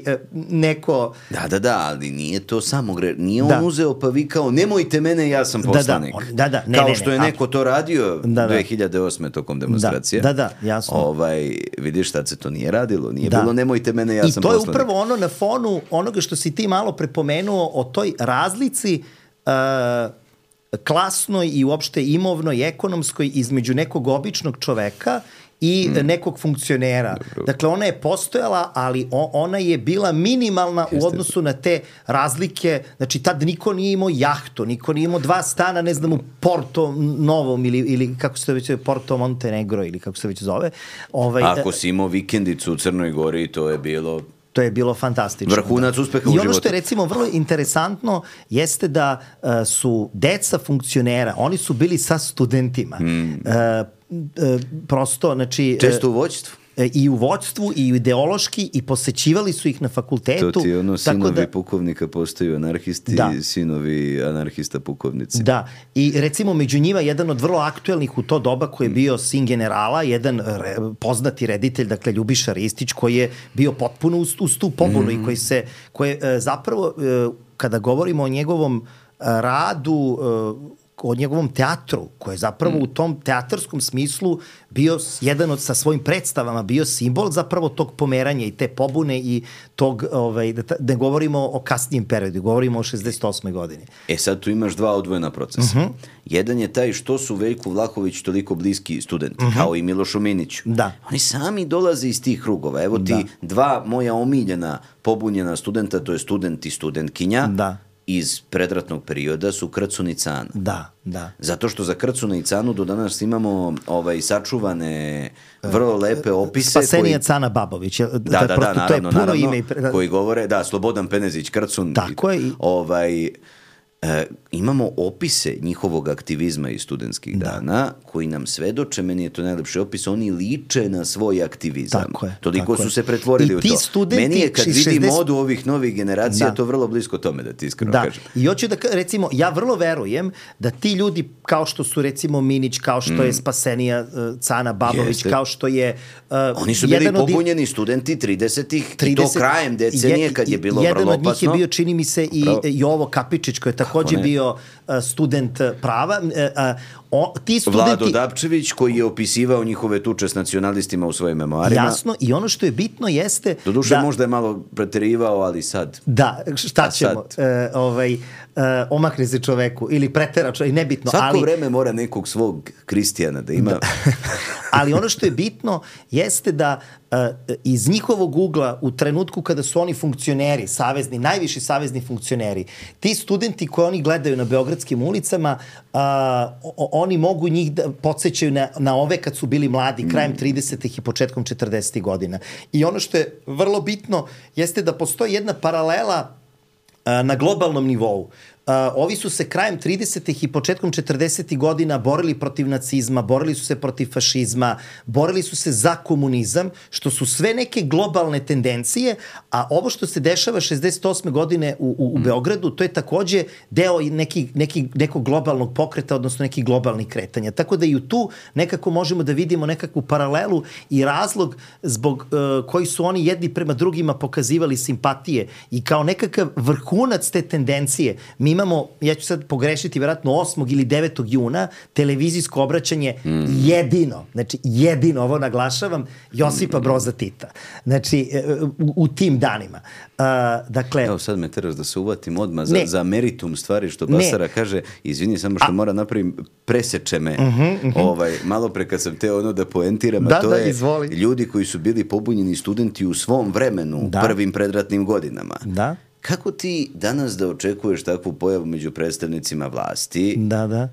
neko... Da, da, da, ali nije to samo gre... Nije da. on uzeo pa vikao, nemojte mene, ja sam poslanik. Da, da, da, da. Ne, Kao ne, ne, što je neko to radio da, da. dve hiljade osme tokom demonstracije. Da, da, da, jasno. Ovaj, vidiš, tad se to nije radilo. Nije da. bilo, nemojte mene, ja I sam poslanik. poslanik. I to je upravo ono na fonu onoga što si ti malo prepomenuo o toj razlici uh, klasnoj i uopšte imovnoj, ekonomskoj između nekog običnog čoveka i mm. nekog funkcionera. Dobro. Dakle, ona je postojala, ali o, ona je bila minimalna Jeste. u odnosu na te razlike. Znači, tad niko nije imao jahtu, niko nije imao dva stana, ne znam, u Porto Novom ili, ili kako se to već zove, Porto Montenegro ili kako se već zove. Ovaj, Ako si imao vikendicu u Crnoj Gori, to je bilo... To je bilo fantastično. Vrhunac uspeha u životu. I ono što je recimo vrlo interesantno jeste da uh, su deca funkcionera, oni su bili sa studentima. Mm. Uh, uh, prosto, znači... Često u vođstvu. I u vođstvu, i ideološki, i posećivali su ih na fakultetu. To ti je ono, sinovi da, pukovnika postaju anarhisti, da. sinovi anarhista pukovnici. Da, i recimo među njima jedan od vrlo aktuelnih u to doba koji je bio sin generala, jedan re, poznati reditelj, dakle Ljubiša Ristić, koji je bio potpuno uz, uz tu pobunu mm. i koji se, koji zapravo, kada govorimo o njegovom radu, o njegovom teatru, koji je zapravo mm. u tom teatarskom smislu bio jedan od, sa svojim predstavama, bio simbol zapravo tog pomeranja i te pobune i tog, ovaj, da, da ne govorimo o kasnijem periodu, govorimo o šezdeset osmoj godini. E sad tu imaš dva odvojena procesa. Uh-huh. Jedan je taj što su Veljku Vlahović toliko bliski studenti, uh-huh. kao i Milošu Miniću. Da. Oni sami dolaze iz tih krugova. Evo ti da. dva moja omiljena pobunjena studenta, to je student i studentkinja. Da. Iz predratnog perioda su Krcun i Cana. Da, da. Zato što za Krcuna i Canu do danas imamo ovaj, sačuvane vrlo lepe opise. Spasenija koji... Cana Babović. Da, da, da, da, naravno, to je puno naravno, ime. I... koji govore, da, Slobodan Penezić, Krcun. Tako je. Ovaj, e, imamo opise njihovog aktivizma iz studentskih da. dana, koji nam svedoče, meni je to najlepši opis, oni liče na svoj aktivizam. Tako je. Toliko tako su je. se pretvorili I u to. Studenti, meni je kad vidim šezdeset... modu ovih novih generacija, da. to vrlo blisko tome, da ti iskreno da. kažem. I hoću da, recimo, ja vrlo verujem da ti ljudi, kao što su, recimo, Minić, kao što mm. je Spasenija uh, Cana Babović, Jeste. kao što je... Uh, oni su bili pobunjeni od... studenti tridesetih i to krajem decenije, kad je bilo vrlo opasno. Jedan od njih je bio, čini mi se, i Jovo Kapičić, koji je takođe bio uh, student prava. Uh, uh, o, ti studenti... Vlado Dapčević, koji je opisivao njihove tuče s nacionalistima u svojim memoarima. Jasno, i ono što je bitno jeste... Doduše da, možda je malo preterivao, ali sad... Da, šta ćemo? E, ovaj, e, omakne se čoveku ili pretera čoveku, nebitno. Svako ali, vreme mora nekog svog Kristijana da ima. Da. Ali ono što je bitno jeste da e, iz njihovog ugla u trenutku kada su oni funkcioneri, savezni, najviši savezni funkcioneri, ti studenti koji oni gledaju na beogradskim ulicama, a, o, oni mogu njih da podsjećaju na, na ove kad su bili mladi, krajem tridesetih i početkom četrdesetih godina. I ono što je vrlo bitno jeste da postoji jedna paralela a, na globalnom nivou. Uh, ovi su se krajem tridesetih i početkom četrdesetih godina borili protiv nacizma, borili su se protiv fašizma, borili su se za komunizam, što su sve neke globalne tendencije, a ovo što se dešava šezdeset osme godine u, u, u Beogradu, to je takođe deo neki, neki, nekog globalnog pokreta, odnosno nekih globalnih kretanja. Tako da i u tu nekako možemo da vidimo nekakvu paralelu i razlog zbog uh, koji su oni jedni prema drugima pokazivali simpatije i kao nekakav vrhunac te tendencije mi imamo, ja ću sad pogrešiti, vjerojatno osmog ili devetog juna, televizijsko obraćanje mm. jedino, znači jedino, ovo naglašavam, Josipa Broza Tita. Znači, u, u tim danima. Uh, dakle... Evo sad me teraš da se uvatim odmah za, za meritum stvari, što Basara ne. kaže, izvini, samo što a, mora napravim, preseče me. Uh-huh, uh-huh. Ovaj, malo pre kad sam teo ono da poentiram, da, a to da, je izvoli. Ljudi koji su bili pobunjeni studenti u svom vremenu, da. prvim predratnim godinama. Da. Kako ti danas da očekuješ takvu pojavu među predstavnicima vlasti? Da, da.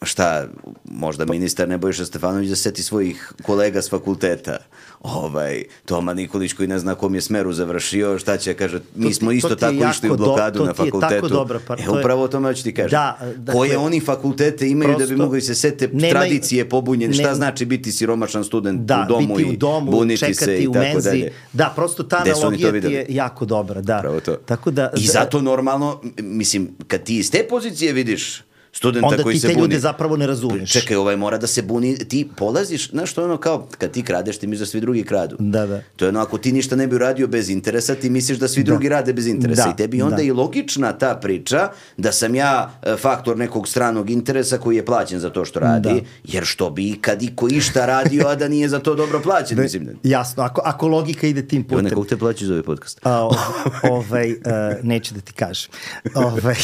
Šta, možda ministar Nebojša Stefanović da seti svojih kolega s fakulteta. Ovaj, Toma Nikolić koji ne zna kom je smeru završio, šta će, kaže, mi ti, smo isto tako išli u blokadu do, na fakultetu. Dobra, pa, e, upravo o tome ću ti kažem. Da, dakle, koje oni fakultete imaju prosto, da bi mogli se sete nemaj, tradicije pobunjeni, šta ne, znači biti siromašan student da, u domu i u domu, buniti se i tako menzi, dalje. Da, prosto ta analogija ti je jako dobra. Da. Tako da, I zato normalno, mislim, kad ti iz te pozicije vidiš studenta onda koji ti se te buni. ljude zapravo ne razumiješ. Čekaj, ovaj mora da se buni, ti polaziš, znaš što je ono kao, kad ti kradeš, ti misliš da svi drugi kradu. Da, da. To je ono, ako ti ništa ne bi uradio bez interesa, ti misliš da svi da. drugi rade bez interesa. Da. I tebi onda da. i logična ta priča da sam ja faktor nekog stranog interesa koji je plaćen za to što radi, da. jer što bi kad iko išta radio, a da nije za to dobro plaćen. Mislim. Jasno, ako, ako logika ide tim putem. Evo nekog te plaći za ovaj podcast. A, o, ovaj, uh, neću da ti kažem. Ovaj,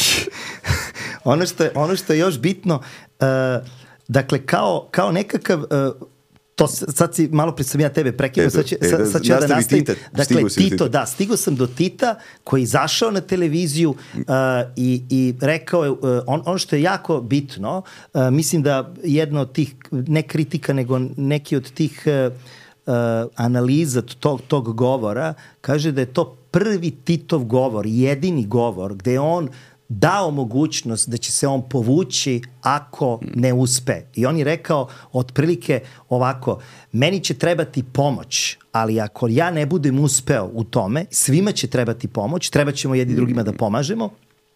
ono, što je, ono što je još bitno, Uh, dakle, kao, kao nekakav, uh, to sad si, malo prije sam ja tebe prekinuo, sad, će, sad, sad ću ja da nastavim. Tita, dakle, Tito, da, stigo sam do Tita koji zašao na televiziju uh, i, i rekao je, uh, on, ono što je jako bitno, uh, mislim da jedna od tih, ne kritika, nego neki od tih uh, uh, analiza tog, tog govora, kaže da je to prvi Titov govor, jedini govor, gde je on dao mogućnost da će se on povući ako ne uspe. I on je rekao otprilike ovako, meni će trebati pomoć, ali ako ja ne budem uspeo u tome, svima će trebati pomoć, treba ćemo jedni drugima da pomažemo,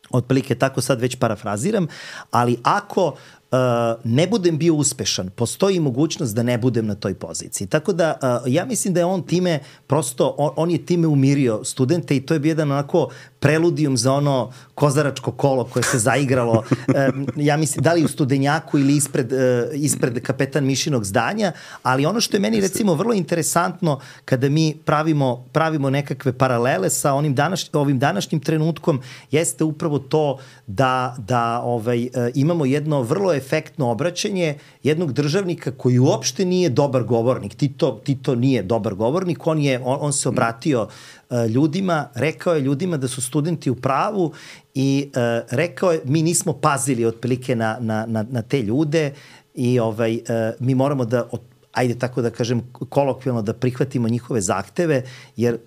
otprilike tako sad već parafraziram, ali ako Uh, ne budem bio uspešan, postoji mogućnost da ne budem na toj poziciji. Tako da, uh, ja mislim da je on time, prosto, on, on je time umirio studente i to je bio jedan onako preludijum za ono kozaračko kolo koje se zaigralo, um, ja mislim, da li u Studenjaku ili ispred, uh, ispred Kapetan Mišinog zdanja, ali ono što je meni, recimo, vrlo interesantno kada mi pravimo, pravimo nekakve paralele sa onim današ, ovim današnjim trenutkom, jeste upravo to da, da ovaj, uh, imamo jedno vrlo efektno obraćanje jednog državnika koji uopšte nije dobar govornik. Tito, Tito nije dobar govornik, on, je, on, on se obratio uh, ljudima, rekao je ljudima da su studenti u pravu i uh, rekao je mi nismo pazili otprilike na, na, na, na te ljude i ovaj, uh, mi moramo da, ajde tako da kažem kolokvijalno, da prihvatimo njihove zahteve, jer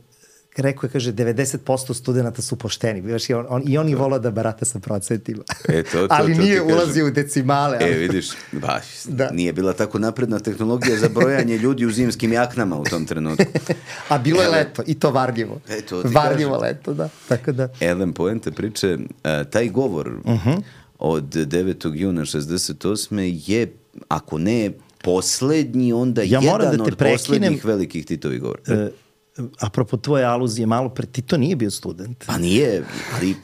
rekao je, kaže, devedeset posto studenta su pošteni. I on, on, i on je volao da barata sa procentima. E, to, to, ali to, nije ulazio u decimale. Ali... E, vidiš, baš, da. Nije bila tako napredna tehnologija za brojanje ljudi u zimskim jaknama u tom trenutku. A bilo je leto, i to varljivo. E, to varljivo kažem. Leto, da. Tako da. Elem, poenta priče, uh, taj govor uh-huh. od devetog juna šezdeset osme je, ako ne poslednji, onda ja jedan da od prekinem, poslednjih velikih Titovih govora. Uh, apropo tvoje aluzije malo pre, Tito nije bio student. Pa nije, ali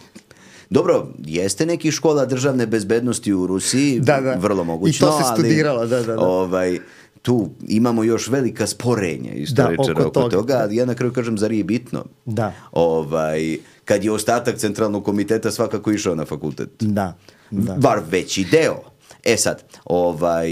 dobro, jeste neki škola državne bezbednosti u Rusiji, da, da. Vrlo mogućno, i to se studiralo, ali, da, da, da. Ovaj, tu imamo još velika sporenja istoričara da, oko, oko toga, ali ja na kraju kažem, zar je bitno? Da. Ovaj, kad je ostatak centralnog komiteta svakako išao na fakultet. Da. da. Bar veći deo. E sad, ovaj,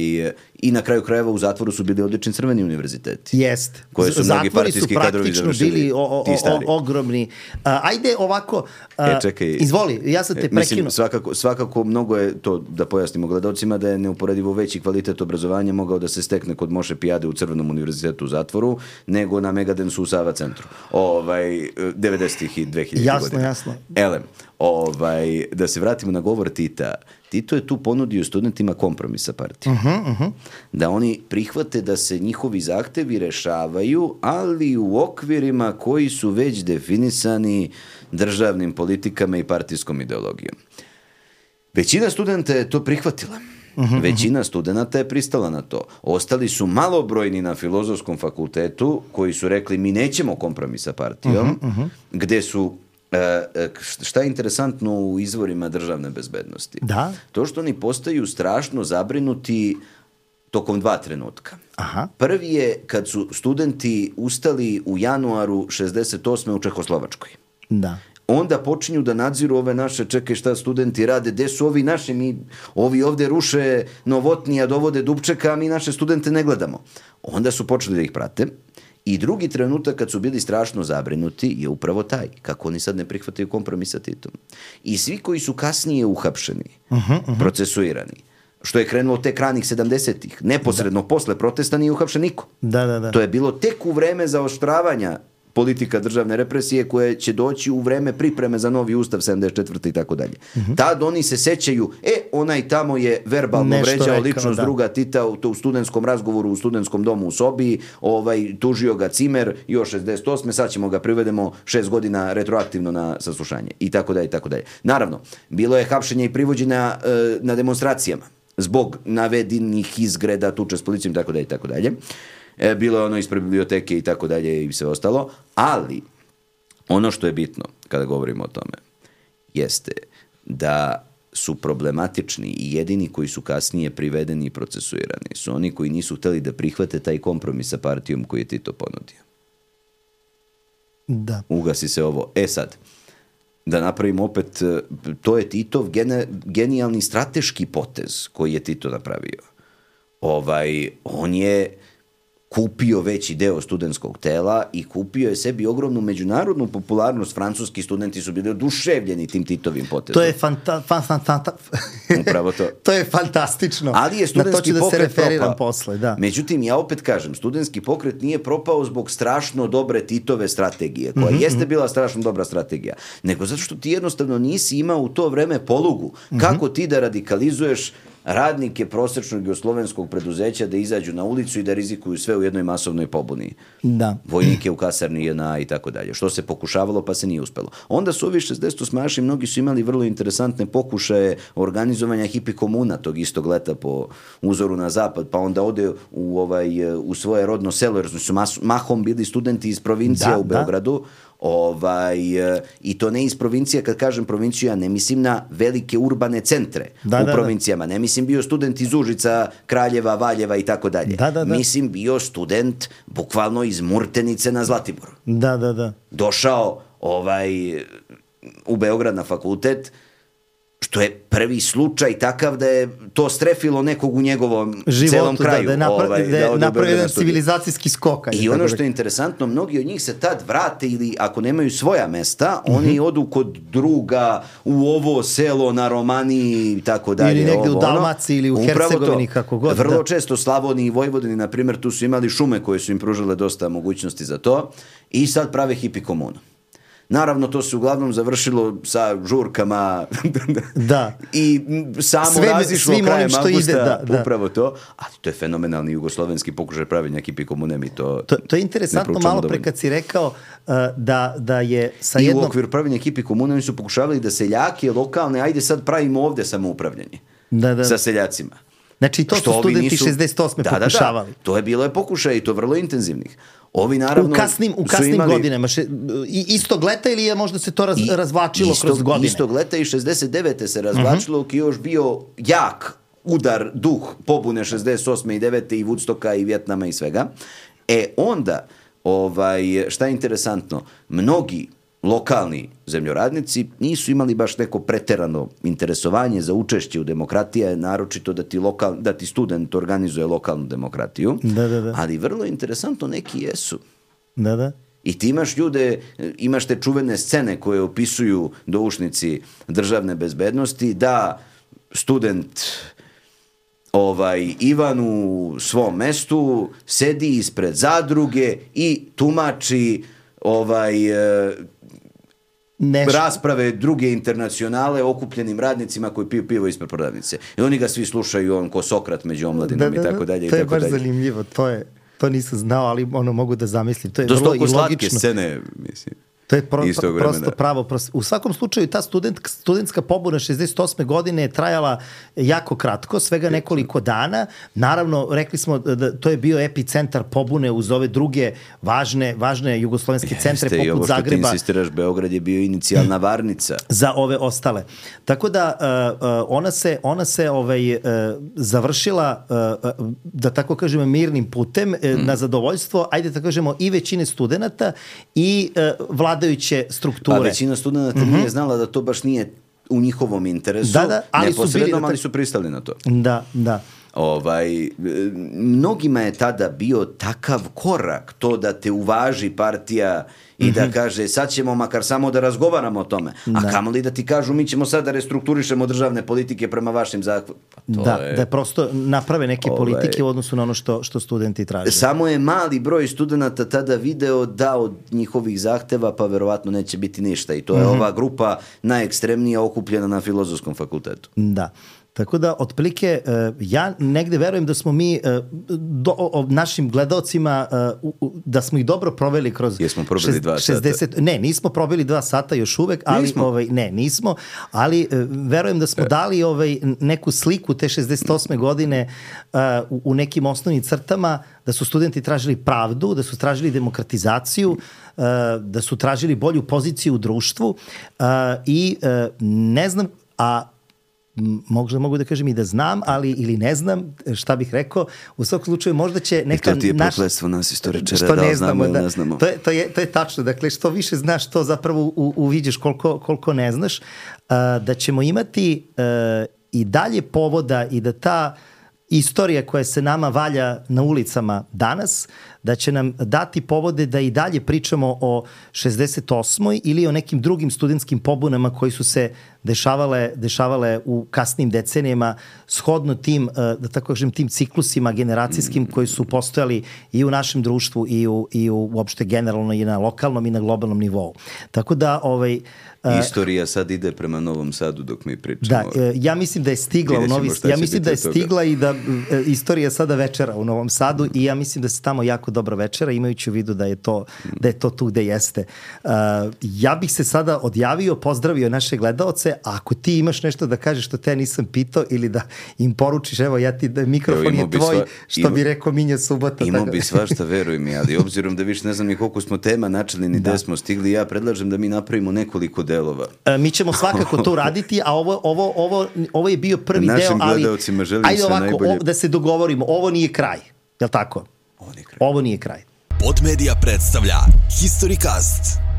i na kraju krajeva u zatvoru su bili odlični crveni univerziteti. Jest. Koje su mnogi partijski kadrovi završili. Bili o, o, o, ogromni. Uh, ajde ovako, uh, e, čekaj, izvoli, ja sam te prekinu. Mislim, svakako, svakako mnogo je to, da pojasnimo gledalcima, da je neuporedivo veći kvalitet obrazovanja mogao da se stekne kod Moše Pijade u Crvenom univerzitetu u zatvoru, nego na Megadensu u Sava centru. Ovaj, devedesetih i dvehiljaditih jasno, godina. Jasno, jasno. Elem, ovaj, da se vratimo na govor Tita. Tito je tu ponudio studentima kompromis sa partijom. Uh-huh, uh-huh. Da oni prihvate da se njihovi zahtevi rešavaju, ali u okvirima koji su već definisani državnim politikama i partijskom ideologijom. Većina studenta je to prihvatila. Uh-huh, Većina uh-huh. studenta je pristala na to. Ostali su malobrojni na Filozofskom fakultetu koji su rekli mi nećemo kompromis sa partijom, uh-huh, uh-huh. gde su šta je interesantno u izvorima državne bezbednosti? Da. To što oni postaju strašno zabrinuti tokom dva trenutka. Aha. Prvi je kad su studenti ustali u januaru šezdeset osme u Čehoslovačkoj. Da. Onda počinju da nadziru ove naše, čekaj šta studenti rade, gde su ovi naši, mi, ovi ovde ruše Novotnija, dovode Dubčeka, a mi naše studente ne gledamo. Onda su počeli da ih prate. I drugi trenutak kad su bili strašno zabrinuti je upravo taj, kako oni sad ne prihvataju kompromis sa Titom. I svi koji su kasnije uhapšeni, uh-huh, uh-huh. procesuirani, što je krenulo tek ranih sedamdesetih, neposredno da. Posle protesta nije uhapšen niko. Da, da, da. To je bilo tek u vreme zaoštravanja politika državne represije koje će doći u vreme pripreme za novi ustav sedamdeset četvrte i tako dalje. Tad oni se sećaju, e, onaj tamo je verbalno nešto vređao rekao, ličnost da. Druga Tita u, u studentskom razgovoru, u studentskom domu u sobi, ovaj, tužio ga Cimer još šezdeset osme sad ćemo ga privedemo šest godina retroaktivno na saslušanje i tako dalje i tako dalje. Naravno, bilo je hapšenja i privođenja e, na demonstracijama zbog navedenih izgreda, tuče s policijom i tako dalje i tako dalje. E, bilo je ono ispred biblioteke i tako dalje i sve ostalo, ali ono što je bitno kada govorimo o tome jeste da su problematični i jedini koji su kasnije privedeni i procesuirani su oni koji nisu hteli da prihvate taj kompromis sa partijom koji je Tito ponudio. Da. Ugasi se ovo. E sad, da napravimo opet, to je Titov gene, genijalni strateški potez koji je Tito napravio. Ovaj, on je kupio veći deo studentskog tela i kupio je sebi ogromnu međunarodnu popularnost. Francuski studenti su bili oduševljeni tim Titovim potezom. To je fanta, fa, fa, fa, fa. Upravo to. To je fantastično. Ali je studentski na to ću pokret da se referiram propao. Posle, da. Međutim, ja opet kažem, studentski pokret nije propao zbog strašno dobre Titove strategije, koja mm-hmm. jeste bila strašno dobra strategija, nego zato što ti jednostavno nisi imao u to vreme polugu. Mm-hmm. Kako ti da radikalizuješ radnike prosječnog jugoslovenskog preduzeća da izađu na ulicu i da rizikuju sve u jednoj masovnoj pobuni. Da. Vojnike u kasarni J N A i tako dalje. Što se pokušavalo pa se nije uspelo. Onda su ovi šezdeset osmaši, mnogi su imali vrlo interesantne pokušaje organizovanja hipi komuna tog istog leta po uzoru na zapad, pa onda ode u, ovaj, u svoje rodno selo, jer su mas, mahom bili studenti iz provincija da, u Beogradu. Da. Ovaj, i to ne iz provincija, kad kažem provinciju, ja ne mislim na velike urbane centre da, u da, provincijama, ne mislim bio student iz Užica, Kraljeva, Valjeva i tako dalje. Da, da, da. Mislim bio student bukvalno iz Murtenice na Zlatiboru. Da, da, da. Došao ovaj, u Beograd na fakultet, što je prvi slučaj takav da je to strefilo nekog u njegovom životu, celom kraju. Da, da je napra- ovaj, da da napravio jedan civilizacijski skok. I ono što je interesantno, mnogi od njih se tad vrate ili ako nemaju svoja mesta, mm-hmm. oni odu kod druga u ovo selo na Romaniji i tako dalje. Ili negde ovo, u Dalmaciji ili u Hercegovini, kako god. Vrlo da. često Slavoniji i Vojvodini, na primjer, tu su imali šume koje su im pružile dosta mogućnosti za to i sad prave hipi komunu. Naravno, to se uglavnom završilo sa žurkama da. I samo Sve, razišlo krajem što avgusta, ide, da, da. upravo to. Ali to je fenomenalni jugoslovenski pokušaj pravilnja hipi komune. Mi to, to, to je interesantno malo pre kad si rekao uh, da, da je sa I jednom... u okviru pravilnja hipi komune oni su pokušavali da seljake lokalne, ajde sad pravimo ovde samoupravljanje da, da. sa seljacima. Znači to što su studenti nisu... šezdeset osme da, pokušavali. Da, da. To je bilo je pokušaj i to vrlo intenzivnih. Ovi naravno u kasnim, u kasnim imali... godinama. Še, istog leta ili je možda se to raz, I, razvlačilo istog, kroz godine? Istog leta i šezdeset devete se razvlačilo, uh-huh. ki je još bio jak udar, duh pobune šezdeset osme i devete i Woodstocka i Vjetnama i svega. E onda, ovaj, šta je interesantno, mnogi lokalni zemljoradnici nisu imali baš neko preterano interesovanje za učešće u demokratiji, naročito da ti, lokal, da ti student organizuje lokalnu demokratiju, da, da, da. Ali vrlo interesantno neki jesu. Da, da. I ti imaš ljude, imaš te čuvene scene koje opisuju doušnici državne bezbednosti, da student ovaj, Ivan u svom mestu sedi ispred zadruge i tumači ovaj... Nešto. Rasprave druge internacionale okupljenim radnicima koji piju pivo ispred prodavnice. I oni ga svi slušaju, on ko Sokrat među omladinom da, da, da. i tako dalje. To je tako baš dalje. Zanimljivo, to je, to nisam znao, ali ono mogu da zamislim. To je Do vrlo i slatke logično. Scene, mislim. To je pro, istog prosto vremena. pravo. Prosto. U svakom slučaju ta student, studentska pobuna šezdeset osme godine je trajala jako kratko, svega nekoliko dana. Naravno, rekli smo da to je bio epicentar pobune uz ove druge važne, važne jugoslovenske centre Jeste, poput i ovo što Zagreba. ti insistiraš, Beograd je bio inicijalna varnica. Za ove ostale. Tako da uh, uh, ona se, ona se ovaj, uh, završila, uh, uh, da tako kažemo, mirnim putem, uh, mm. na zadovoljstvo, ajde da kažemo, i većine studenta i uh, vladajuće strukture. Pa većina studenta mm-hmm. nije znala da to baš nije u njihovom interesu, da, da, ali su bili, ali su pristali na to. Da, da. Ovaj, mnogima je tada bio takav korak to da te uvaži partija i mm-hmm. da kaže sad ćemo makar samo da razgovaramo o tome, a da. kamoli da ti kažu mi ćemo sad da restrukturišemo državne politike prema vašim zahtjevima. Da, je... da prosto naprave neke ovaj... politike u odnosu na ono što, što studenti traže. Samo je mali broj studenta tada video da od njihovih zahteva pa verovatno neće biti ništa i to je mm-hmm. ova grupa najekstremnija okupljena na Filozofskom fakultetu. Da. Tako da, otprilike, ja negde verujem da smo mi do, o, našim gledaocima, da smo ih dobro proveli kroz... Jesmo probili dva šezdeset sata? Ne, nismo probili dva sata još uvek, ali nismo. Ovaj, ne, nismo, ali verujem da smo e. dali ovaj, neku sliku te šezdeset osme godine uh, u, u nekim osnovnim crtama, da su studenti tražili pravdu, da su tražili demokratizaciju, uh, da su tražili bolju poziciju u društvu uh, i uh, ne znam, a možda mogu da kažem i da znam, ali ili ne znam šta bih rekao. U svakom slučaju možda će neka... I to ti je naš... prokletstvo nas istoričara, da ne znamo ili da, ne znamo. To je, to, je, to je tačno. Dakle, što više znaš, to zapravo u, uviđeš koliko, koliko ne znaš. Uh, da ćemo imati uh, i dalje povoda i da ta istorija koja se nama valja na ulicama danas, da će nam dati povode da i dalje pričamo o šezdeset osmoj ili o nekim drugim studentskim pobunama koji su se dešavale, dešavale u kasnim decenijama shodno tim, da tako kažem, tim ciklusima generacijskim koji su postojali i u našem društvu i u, i u uopšte generalno i na lokalnom i na globalnom nivou. Tako da ovaj istorija sad ide prema Novom Sadu dok mi pričamo. Da, ja mislim da je stigla u Novi Sad. Ja mislim da je stigla i da istorija sada večera u Novom Sadu i ja mislim da se tamo jako dobro večera, imajući u vidu da je to, da je to tu gde jeste. Uh, ja bih se sada odjavio, pozdravio naše gledaoce, a ako ti imaš nešto da kažeš što te ja nisam pitao ili da im poručiš, evo ja ti, da mikrofon je tvoj, sva, što ima, bi rekao Minja Subota. Imao bi svašta, veruj mi, ali obzirom da više ne znam ni koliko smo tema načeli, ni gde smo stigli, ja predlažem da mi napravimo nekoliko delova. Uh, mi ćemo svakako to raditi, a ovo, ovo, ovo, ovo je bio prvi našim deo, ali gledaocima želim ajde ovako, najbolje. O, da se dogovorimo, ovo nije kraj, je li tako? Ovo nije kraj. Ovo nije kraj. Podmedia predstavlja Historycast.